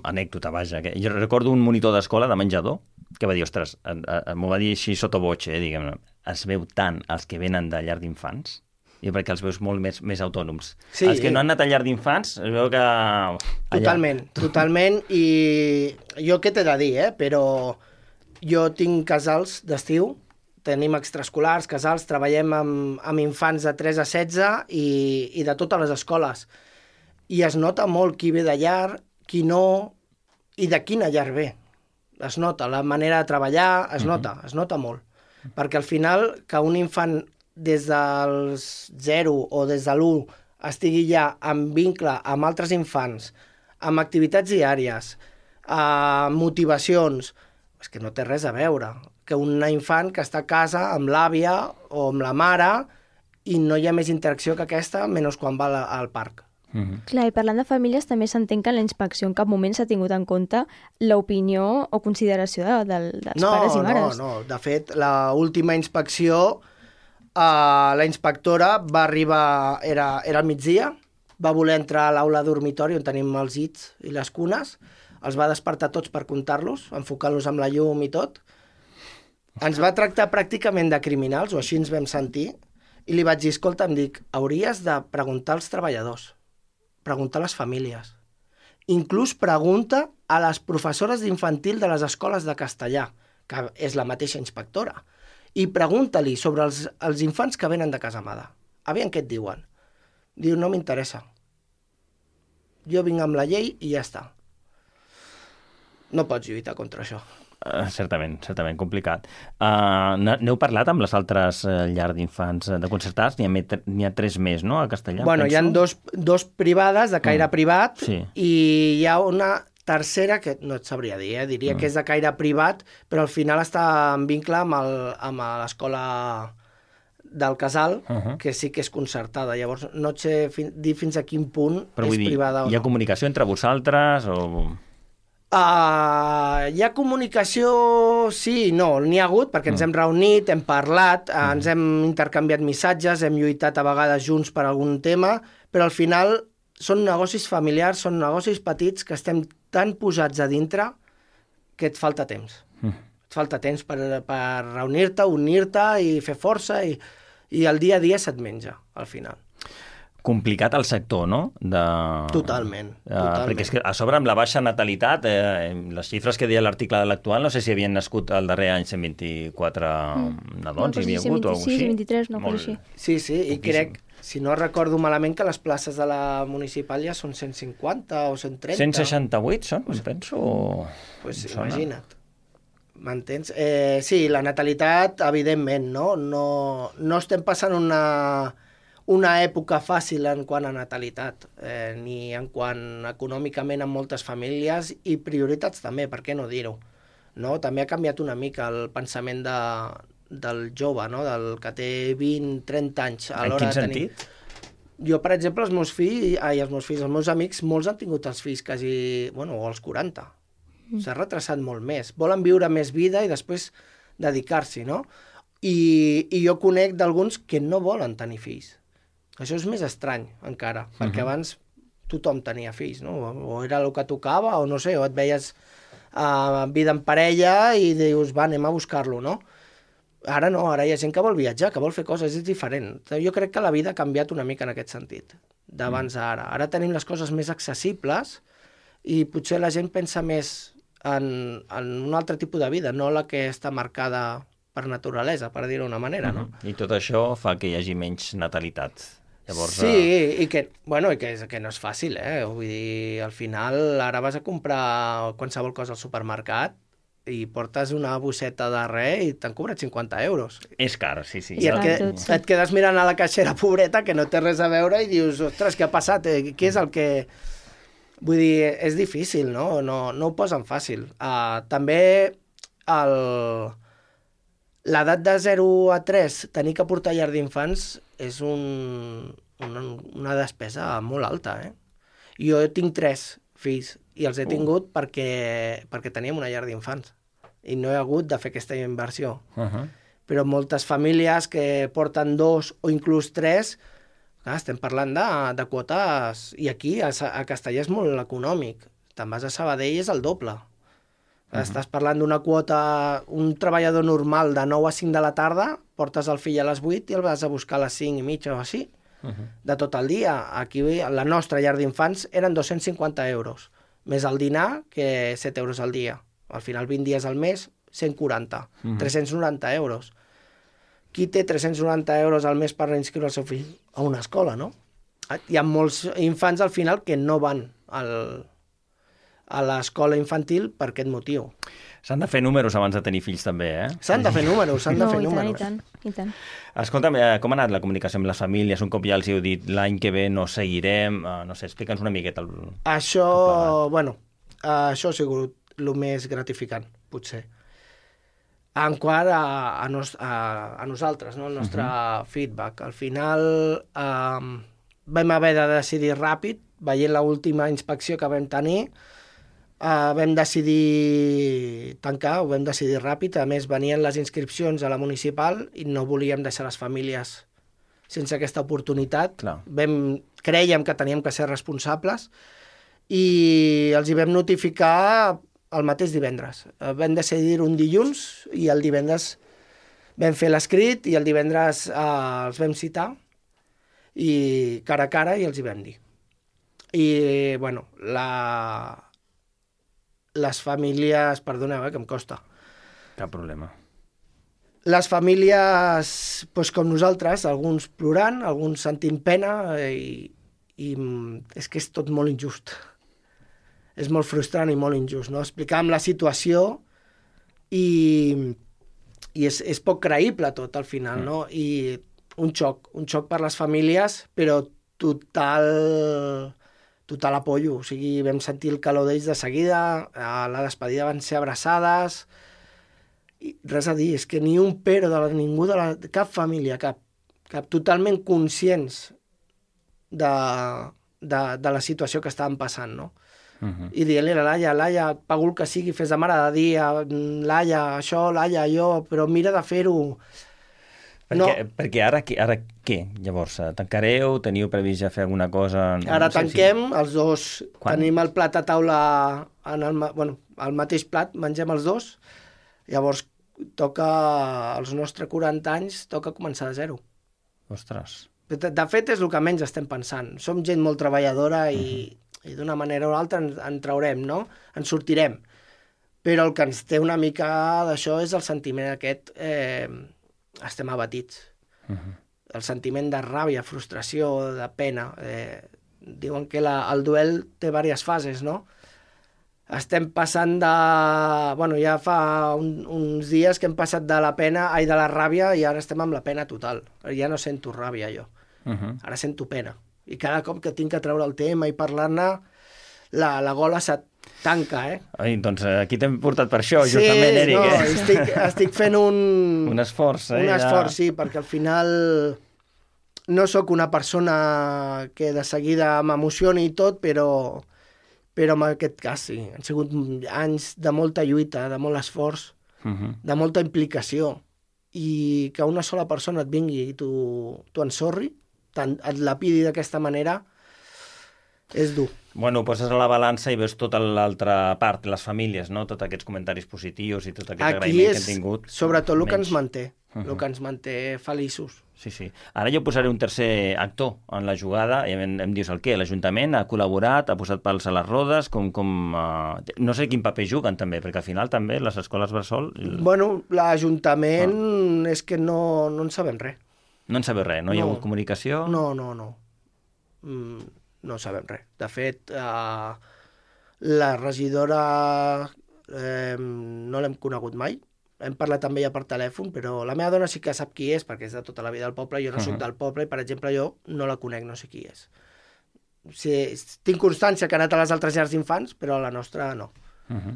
anècdota, vaja. Que jo recordo un monitor d'escola de menjador que va dir, ostres, m'ho va dir així sota voce, eh, diguem-ne, es veu tant els que venen de llar d'infants, i perquè els veus molt més, més autònoms. Sí, els que no han anat a llar d'infants, es veu que... Allà... Totalment, totalment, i jo què t'he de dir, eh? Però jo tinc casals d'estiu, tenim extraescolars, casals, treballem amb, amb infants de tres a setze i, i de totes les escoles. I es nota molt qui ve de llar, qui no, i de quina llar ve. Es nota, la manera de treballar, es nota, uh-huh. es nota molt. Perquè al final, que un infant des dels zero o des de l'u estigui ja en vincle amb altres infants, amb activitats diàries, amb motivacions, és que no té res a veure. Que un infant que està a casa amb l'àvia o amb la mare i no hi ha més interacció que aquesta, menys quan va al parc. Mm-hmm. Clar, i parlant de famílies, també s'entén que en la inspecció en cap moment s'ha tingut en compte l'opinió o consideració de, de, dels no, pares i mares. No, no, de fet, l'última inspecció, uh, la inspectora va arribar, era, era al migdia, va voler entrar a l'aula dormitori on tenim els llits i les cunes, els va despertar tots per comptar-los, enfocant-los amb la llum i tot. Ens va tractar pràcticament de criminals, o així ens vam sentir, i li vaig dir, escolta, em dic, hauries de preguntar als treballadors, preguntar a les famílies. Inclús pregunta a les professores d'infantil de les escoles de castellà, que és la mateixa inspectora, i pregunta-li sobre els, els infants que venen de Casamada. Aviam què et diuen. Diu, no m'interessa. Jo vinc amb la llei i ja està. No pots lluitar contra això. Uh, certament, certament, complicat. Uh, N'heu parlat amb les altres uh, llars d'infants de concertats? N'hi ha, n'hi ha tres més, no?, a Castellà, bueno, penso. Hi ha dos, dos privades de caire mm. privat sí. i hi ha una tercera que no et sabria dir, eh? diria mm. que és de caire privat, però al final està en vincle amb, el, amb l'escola del Casal, uh -huh. que sí que és concertada. Llavors, no et sé fin, dir fins a quin punt però és dir, privada o no. Hi ha comunicació entre vosaltres o... Uh, hi ha comunicació, sí i no, n'hi ha hagut, perquè ens hem reunit, hem parlat, uh, ens hem intercanviat missatges, hem lluitat a vegades junts per algun tema, però al final són negocis familiars, són negocis petits que estem tan posats a dintre que et falta temps. Mm. Et falta temps per, per reunir-te, unir-te i fer força i, i el dia a dia se't menja, al final. Complicat el sector, no? De... Totalment, Uh, totalment. perquè és que a sobre amb la baixa natalitat, eh, les xifres que deia l'article de l'Actual, no sé si havien nascut el darrer any cent vint-i-quatre mm. nadons, no, hi havia hagut o alguna cosa així. cent vint-i-tres, no, Molt... així. Sí, sí, i crec, si no recordo malament, que les places de la municipal ja són cent cinquanta o cent trenta. cent seixanta-vuit són, em penso? O... Pues imagina't. M'entens? Eh, sí, la natalitat, evidentment, no? No, no estem passant una... una època fàcil en quant a natalitat, eh, ni en quant econòmicament en moltes famílies i prioritats també, per què no dir-ho? No? També ha canviat una mica el pensament de, del jove, no? Del que té vint, trenta anys. A en quin sentit? tenir... Jo, per exemple, els meus fills, ai, els meus fills, els meus amics, molts han tingut els fills quasi, bueno, o als quaranta. Mm. S'ha retrasat molt més. Volen viure més vida i després dedicar-s'hi, no? I, i jo conec d'alguns que no volen tenir fills. Això és més estrany, encara, uh-huh. perquè abans tothom tenia fills, no? O era el que tocava, o no sé, o et veies uh, vida en parella i dius, va, anem a buscar-lo, no? Ara no, ara hi ha gent que vol viatjar, que vol fer coses, és diferent. Jo crec que la vida ha canviat una mica en aquest sentit, d'abans a ara. Ara tenim les coses més accessibles i potser la gent pensa més en, en un altre tipus de vida, no la que està marcada per naturalesa, per dir-ho d'una manera, no? Uh-huh. I tot això fa que hi hagi menys natalitat. Llavors, sí, uh... i que, bueno, i que, que no és fàcil, eh? Vull dir, al final, ara vas a comprar qualsevol cosa al supermercat i portes una bosseta de res i t'han cobrat cinquanta euros. És car, sí, sí. I et, que, et quedes mirant a la caixera pobreta que no té res a veure i dius, ostres, què ha passat? Què és el que... Vull dir, és difícil, no? No, no ho posen fàcil. Uh, també el... l'edat de zero a tres, tenir que portar llar d'infants és un, una, una despesa molt alta, eh? Jo tinc tres fills i els he tingut uh. perquè, perquè teníem una llar d'infants i no he hagut de fer aquesta inversió. Uh-huh. Però moltes famílies que porten dos o inclús tres, clar, estem parlant de, de quotes, i aquí a, a Castellà és molt econòmic. Te'n vas a Sabadell és el doble. Uh-huh. Estàs parlant d'una quota, un treballador normal de nou a cinc de la tarda, portes el fill a les vuit i el vas a buscar a les cinc i mitja o així, uh-huh. de tot el dia. Aquí la nostra llar d'infants eren dos-cents cinquanta euros, més el dinar, que set euros al dia. Al final, vint dies al mes, cent quaranta, uh-huh. tres-cents noranta euros. Qui té tres-cents noranta euros al mes per reinscriure el seu fill a una escola, no? Hi ha molts infants al final que no van al... a l'escola infantil per aquest motiu. S'han de fer números abans de tenir fills també, eh? S'han de fer números, s'han de no, fer i números. Tant, i tant, i tant. Escolta'm, com ha anat la comunicació amb les famílies? Un cop ja els heu dit l'any que ve no seguirem, no sé, explica'ns una miqueta. El... Això, bueno, això ha sigut el més gratificant, potser. En quant a, a, nos, a, a nosaltres, no? El nostre uh-huh. feedback. Al final eh, vam haver de decidir ràpid, veient l'última inspecció que vam tenir, Uh, vam decidir tancar, ho vam decidir ràpid. A més, venien les inscripcions a la municipal i no volíem deixar les famílies sense aquesta oportunitat. Vam, crèiem que teníem que ser responsables i els hi vam notificar el mateix divendres. Vam decidir un dilluns i el divendres vam fer l'escrit i el divendres eh, els vam citar i cara a cara i els hi vam dir. I, bueno, la... les famílies... Perdoneu, eh, que em costa. Cap problema. Les famílies, doncs com nosaltres, alguns plorant, alguns sentint pena i, i és que és tot molt injust. És molt frustrant i molt injust, no? Explicàvem la situació i, i és, és poc creïble tot al final, no? I un xoc, un xoc per les famílies, però total, total apoyo. O sigui, vam sentir el calor d'ells de seguida, a la despedida van ser abraçades, i res a dir, és que ni un pero de la, ningú de la, cap família, cap, cap totalment conscients de, de, de la situació que estaven passant, no? Uh-huh. I dient-li a la Laia, Laia, pago el que sigui, fes de mare de dia, Laia, això, Laia, jo, però mira de fer-ho. Perquè, no. perquè ara, ara què? Llavors, tancareu? Teniu previst ja fer alguna cosa? Ara no sé tanquem, si... els dos. Quan? Tenim el plat a taula, en el, bueno, el mateix plat, mengem els dos. Llavors, toca, als nostres quaranta anys, toca començar de zero. Ostres. De, de fet, és el que menys estem pensant. Som gent molt treballadora i, uh-huh. i d'una manera o altra en, en traurem, no? En sortirem. Però el que ens té una mica d'això és el sentiment aquest... Eh, estem abatits. Uh-huh. El sentiment de ràbia, frustració, de pena. Eh, diuen que la, el duel té diverses fases, no? Estem passant de... Bueno, ja fa un, uns dies que hem passat de la pena, ai, de la ràbia, i ara estem amb la pena total. Ja no sento ràbia, jo. Uh-huh. Ara sento pena. I cada cop que tinc que treure el tema i parlar-ne, la, la gola se't tanca, eh? Ai, doncs aquí t'hem portat per això, sí, justament, Eric. Sí, no, eh? estic, estic fent un... Un esforç, eh? Un ja... esforç, sí, perquè al final no sóc una persona que de seguida m'emocioni i tot, però, però en aquest cas sí. Han sigut anys de molta lluita, de molt esforç, uh-huh. de molta implicació, i que una sola persona et vingui i t'ho ensorri, et lapidi d'aquesta manera, és dur. Bueno, poses a la balança i veus tota l'altra part, les famílies, no? Tots aquests comentaris positius i tot aquest Aquí agraïment és, que hem tingut. sobretot el que menys. ens manté, Uh-huh. el que ens manté feliços. Sí, sí. Ara jo posaré un tercer actor en la jugada i em, em dius el què? L'Ajuntament ha col·laborat, ha posat pals a les rodes, com... com uh... no sé quin paper juguen també, perquè al final també les escoles bressol... Bueno, l'Ajuntament ah. és que no, no en sabem res. No en sabeu res? No, no hi ha hagut comunicació? No, no, no. Mm, no sabem res. De fet, uh, la regidora eh, no l'hem conegut mai. Hem parlat amb ella per telèfon, però la meva dona sí que sap qui és, perquè és de tota la vida del poble, jo no uh-huh. soc del poble, i, per exemple, jo no la conec, no sé qui és. O sigui, tinc constància que ha anat a les altres llars d'infants, però a la nostra no. Uh-huh.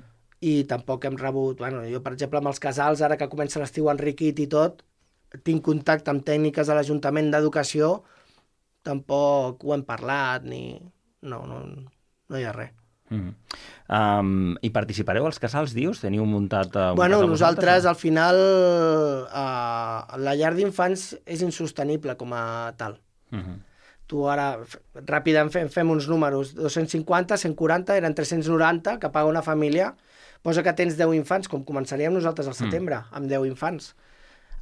I tampoc hem rebut... Bueno, jo, per exemple, amb els casals, ara que comença l'estiu enriquit i tot, tinc contacte amb tècniques de l'Ajuntament d'Educació, tampoc ho hem parlat, ni... No, no, no hi ha res. Mm. Um, I participareu als casals, dius? Teniu muntat uh, un bueno, casal nosaltres vosaltres, al final uh, la llar d'infants és insostenible com a tal. Uh-huh. Tu ara ràpidament fem, fem uns números, dos-cents cinquanta, cent quaranta, eren tres-cents noranta que paga una família, posa que tens deu infants, com començaríem nosaltres al setembre, mm. amb deu infants.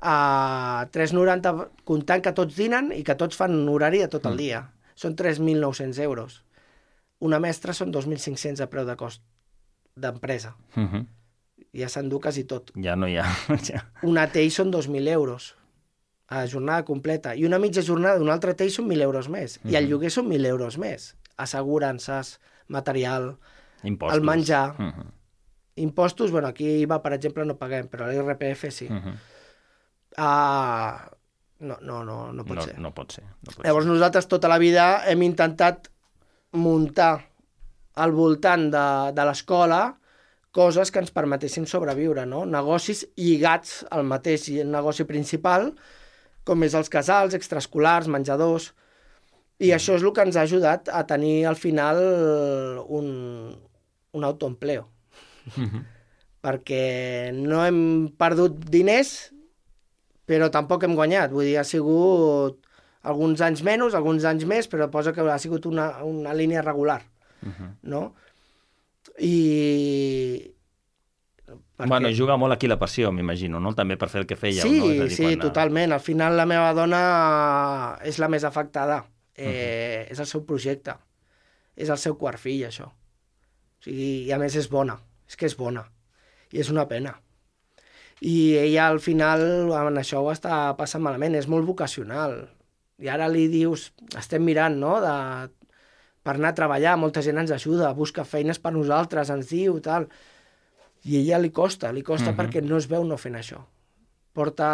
Uh, tres cents noranta comptant que tots dinen i que tots fan un horari de tot el dia. Mm. Són tres mil nou-cents euros. Una mestra són dos mil cinc-cents a preu de cost d'empresa. Uh-huh. Ja s'enduques i tot. Ja no hi ha. Ja. Una T E I són dos mil euros a jornada completa. I una mitja jornada d'una altra T E I són mil euros més. Uh-huh. I el lloguer són mil euros més. Assegurances, material, impostos. El menjar. Uh-huh. Impostos, bueno, aquí I V A, per exemple, no paguem, però l'I R P F sí. Uh-huh. Uh, no, no, no, no pot no, ser. No pot ser. No pot Llavors ser. nosaltres tota la vida hem intentat muntar al voltant de, de l'escola coses que ens permetessin sobreviure, no? Negocis lligats al mateix negoci principal, com és els casals, extraescolars, menjadors, i mm. això és el que ens ha ajudat a tenir al final un, un autoempleo. Mm-hmm. Perquè no hem perdut diners, però tampoc hem guanyat. Vull dir, ha sigut Alguns anys menys, alguns anys més, però posa que ha sigut una, una línia regular, uh-huh. no? I... Perquè... Bueno, juga molt aquí la passió, m'imagino, no? També per fer el que fèieu, sí, no? És a dir, sí, quan... totalment. Al final la meva dona és la més afectada. Eh, uh-huh. És el seu projecte. És el seu quart fill, això. O sigui, i a més és bona. És que és bona. I és una pena. I ella al final en això ho està passant malament. És molt vocacional. I ara li dius, estem mirant, no?, de... per anar a treballar, molta gent ens ajuda, busca feines per nosaltres, ens diu, tal... I a ella li costa, li costa uh-huh. perquè no es veu no fent això. Porta...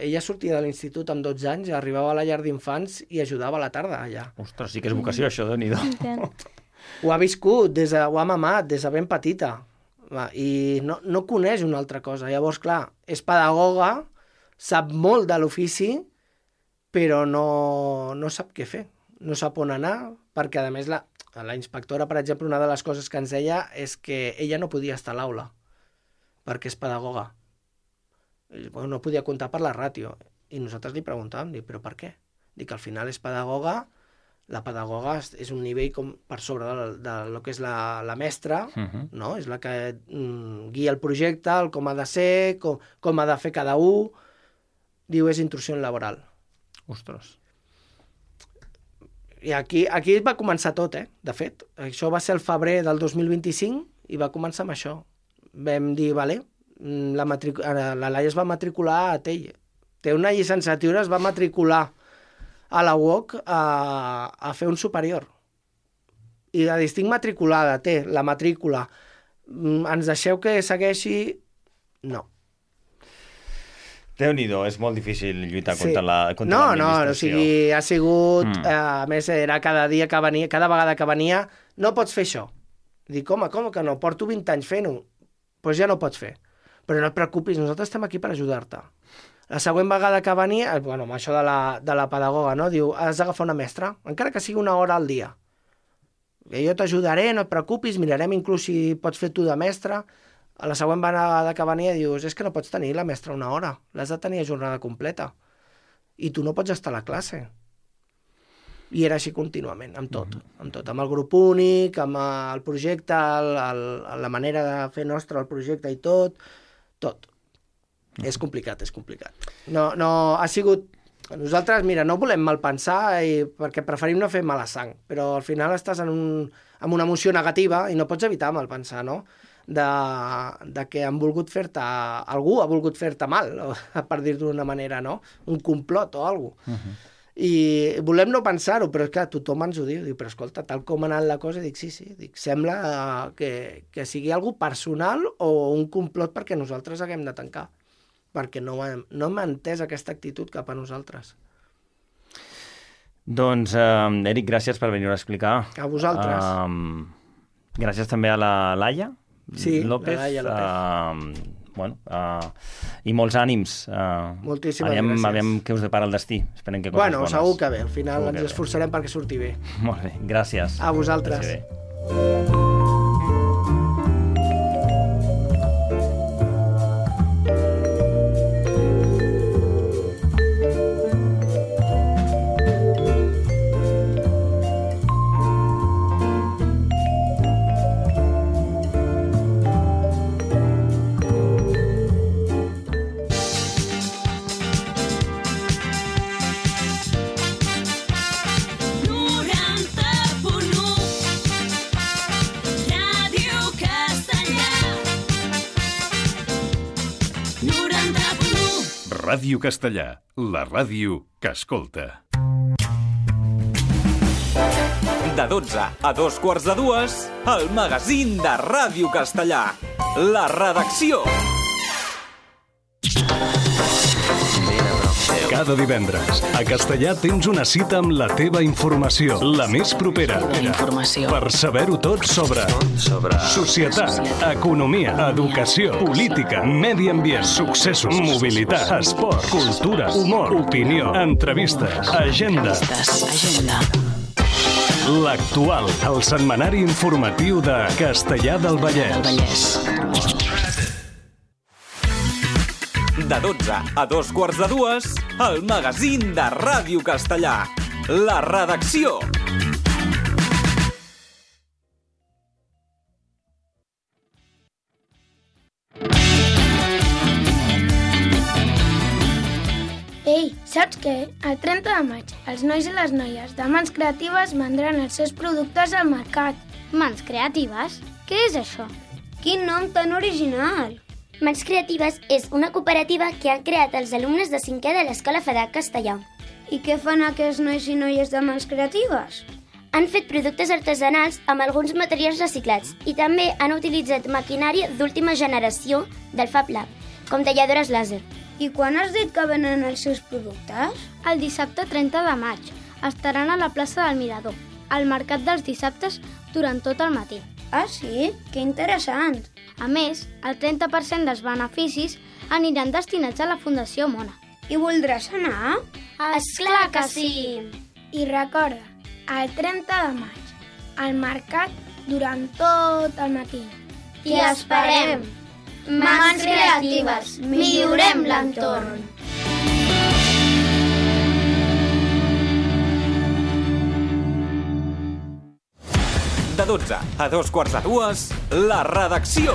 Ella sortia de l'institut amb dotze anys, arribava a la llar d'infants i ajudava a la tarda allà. Ostres, sí que és vocació, això, Déu-n'hi-do. Ho ha viscut, des de... ho ha mamat, des de ben petita. I no, no coneix una altra cosa. Llavors, clar, és pedagoga, sap molt de l'ofici, però no, no sap què fer. No sap on anar, perquè, a més, la, la inspectora, per exemple, una de les coses que ens deia és que ella no podia estar a l'aula, perquè és pedagoga. Bueno, no podia comptar per la ràtio. I nosaltres li preguntàvem, dic, però per què? Dic, al final és pedagoga, la pedagoga és un nivell com per sobre de, de lo que és la, la mestra, uh-huh. no? És la que mm, guia el projecte, el com ha de ser, com, com ha de fer cada un. Diu, és intrusió laboral. Ostres. I aquí, aquí va començar tot, eh? De fet, això va ser el febrer del dos mil vint-i-cinc i va començar amb això. Vam dir, vale, la, matric... la Laia es va matricular a Tell. Té una llicenciatura, es va matricular a la U O C a, a fer un superior. I la distinc matriculada, té la matrícula. Ens deixeu que segueixi? No. Déu-n'hi-do, és molt difícil lluitar sí. contra la contra no, l'administració. No, o sigui, ha sigut... Mm. Eh, a més, era cada dia que venia, cada vegada que venia, no pots fer això. Dic, home, com que no? Porto vint anys fent-ho. Doncs pues ja no pots fer. Però no et preocupis, nosaltres estem aquí per ajudar-te. La següent vegada que venia, bueno, amb això de la, de la pedagoga, no? Diu, has d'agafar una mestra, encara que sigui una hora al dia. I jo t'ajudaré, no et preocupis, mirarem inclús si pots fer tu de mestra. A la següent vegada que venia dius, és que no pots tenir la mestra una hora, l'has de tenir a jornada completa. I tu no pots estar a la classe. I era així contínuament, amb tot, mm-hmm. amb tot, amb el grup únic, amb el projecte, el, el, la manera de fer nostre el projecte i tot, tot. Mm-hmm. És complicat, és complicat. No, no, ha sigut... Nosaltres, mira, no volem malpensar i, perquè preferim no fer mala sang, però al final estàs en, un, en una emoció negativa i no pots evitar malpensar, no? De, de que han volgut fer-te... Algú ha volgut fer-te mal, per dir-ho d'una manera, no? Un complot o alguna cosa. Uh-huh. I volem no pensar-ho, però és que tothom ens ho diu. Diu, però escolta, tal com ha anat la cosa, dic, sí, sí, dic, sembla que, que sigui algo personal o un complot perquè nosaltres haguem de tancar. Perquè no, no hem entès aquesta actitud cap a nosaltres. Doncs, uh, Eric, gràcies per venir a explicar. A vosaltres. Uh, gràcies també a la Laia. Sí, López, la Laia López. Uh, bueno, uh, i molts ànims. Uh, Moltíssimes aviam, gràcies. Aviam què us depara el destí. Esperem que coses bueno, bones. Segur que bé. Al final segur ens esforçarem perquè surti bé. Molt bé, gràcies. A vosaltres. Gràcies. Ràdio Castellà, la ràdio que escolta. De dotze a dos quarts de dues, el magazín de Ràdio Castellà. La redacció. Cada divendres, a Castellà tens una cita amb la teva informació, la més propera. La informació. Per saber-ho tot sobre, sobre societat, economia, educació, política, medi ambient, successos, mobilitat, esport, cultura, humor, opinió, entrevistes, agenda. Agenda. L'actual, el setmanari informatiu de Castellà del Vallès. Del Vallès. De dotze a dos quarts de dues, el magazín de Ràdio Castellà. La redacció. Ei, saps què? El trenta de maig, els nois i les noies de Mans Creatives vendran els seus productes al mercat. Mans Creatives? Què és això? Quin nom tan original! Mans Creatives és una cooperativa que han creat els alumnes de cinquè de l'Escola Federac Castellà. I què fan aquests nois i noies de Mans Creatives? Han fet productes artesanals amb alguns materials reciclats i també han utilitzat maquinària d'última generació del Fab Lab, com talladores làser. I quan has dit que venen els seus productes? El dissabte trenta de maig. Estaran a la plaça del Mirador, al mercat dels dissabtes durant tot el matí. Ah, sí? Que interessant! A més, el trenta per cent dels beneficis aniran destinats a la Fundació Mona. I voldràs anar? Esclar que sí! I recorda, el trenta de maig, al mercat durant tot el matí. T'hi esperem! Mans Creatives, millorem l'entorn! De dotze a dos quarts de dues, la redacció.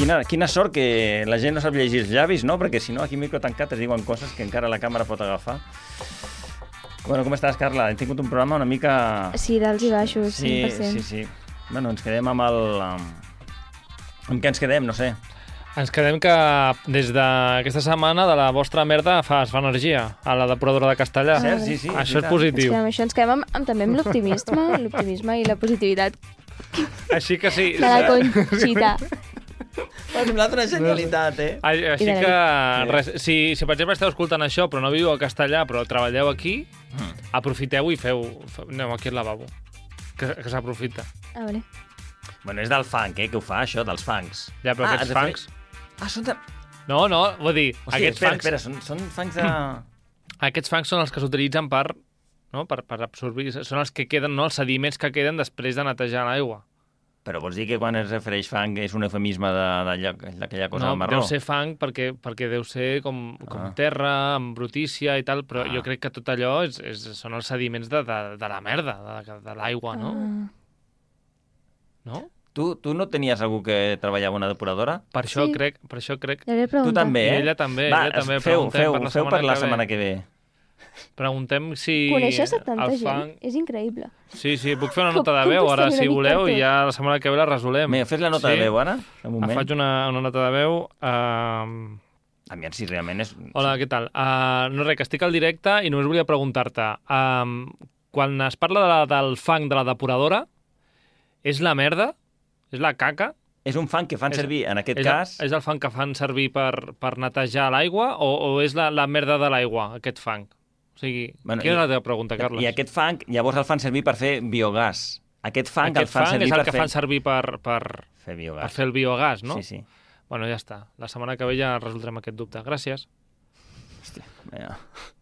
Quina, quina sort que la gent no sap llegir els llavis, no? Perquè si no, aquí micro tancat es diuen coses que encara la càmera pot agafar. Bueno, com estàs, Carla? Hem tingut un programa una mica... Sí, d'alts i baixos, sí, cent per cent. Sí, sí, sí. Bueno, ens quedem amb el... Amb què ens quedem? No sé. Ens quedem que des d'aquesta setmana de la vostra merda fa, es fa energia a la depuradora de Castellà. Ah, sí, sí, això és positiu. Ens quedem, això ens quedem amb, amb, també amb l'optimisme, l'optimisme i la positivitat. Així que sí. De la Conxita. M'ha semblat una genialitat, eh? Així que, res, si, si per exemple esteu escoltant això però no viu a Castellà però treballeu aquí, mm. aprofiteu i feu, feu... Aneu aquí al lavabo, que, que s'aprofita. A veure. Bueno, és del funk, eh, que ho fa, això, dels funks. Ja, però ah, aquests funks... Ah, són de... No, no, vull dir, o sigui, aquests espera, funks... espera, són, són funks de... Aquests funks són els que s'utilitzen per, no, per, per absorbir... Són els que queden, no, els sediments que queden després de netejar l'aigua. Però vols dir que quan es refereix fang és un eufemisme d'aquella cosa no, marró? No, deu ser fang perquè, perquè deu ser com, com ah. terra, amb brutícia i tal, però ah. jo crec que tot allò és, és, són els sediments de, de, de la merda, de, de l'aigua, no? Ah. No? Tu, tu no tenies algú que treballava a una depuradora? Per això sí. crec, per això crec. Tu també, eh? I ella també, Va, ella també. Feu, feu, per la feu per la que setmana que ve. Preguntem si... Coneixes a tanta el gent? fang... És increïble. Sí, sí, puc fer una nota de veu ara, si voleu, i ja la setmana que ve la resolem. Mira, fes la nota sí? de veu ara, un moment. Faig una, una nota de veu. Uh... Aviam si realment és... Hola, què tal? Uh, no res, que estic al directe i només volia preguntar-te. Uh, quan es parla de la, del fang de la depuradora, és la merda? És la caca? És un fang que fan és, servir, en aquest és cas... El, és el fang que fan servir per, per netejar l'aigua o, o és la, la merda de l'aigua, aquest fang? O sigui, bueno, quina és la teva pregunta, Carles? I aquest fang, llavors el fan servir per fer biogàs. Aquest fang aquest el fan fang servir és el per que fer... fan servir per, per, fer biogàs. per fer el biogàs, no? Sí, sí. Bueno, ja està. La setmana que ve ja resoldrem aquest dubte. Gràcies. Hòstia, ja.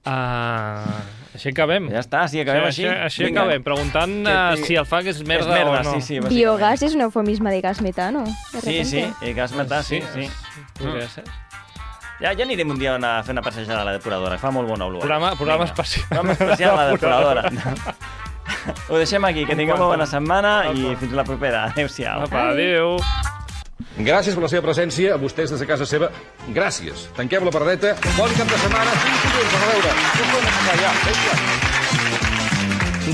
Uh, així acabem. Ja està, sí, acabem sí, així. Així, així acabem, preguntant uh, si el fang és merda, és merda o no. Sí, sí, biogàs és un eufemisme de gas metano. De sí, sí, el gas metà, sí, sí. Podria ser. Ja, ja anirem un dia a fer una passejada a la depuradora, fa molt bona olor. Programa, programa especial. Programa especial a la depuradora. Ho deixem aquí, que tingueu una bona setmana i fins la propera. Adéu-siau. Apa, adéu. Gràcies per la seva presència, a vostès des de casa seva. Gràcies. Tanquem la paradeta. Bon cap de setmana. Fins dilluns, a veure.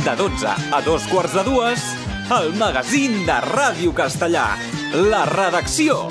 De dotze a dos quarts de dues, el magazín de Ràdio Castellà. La redacció.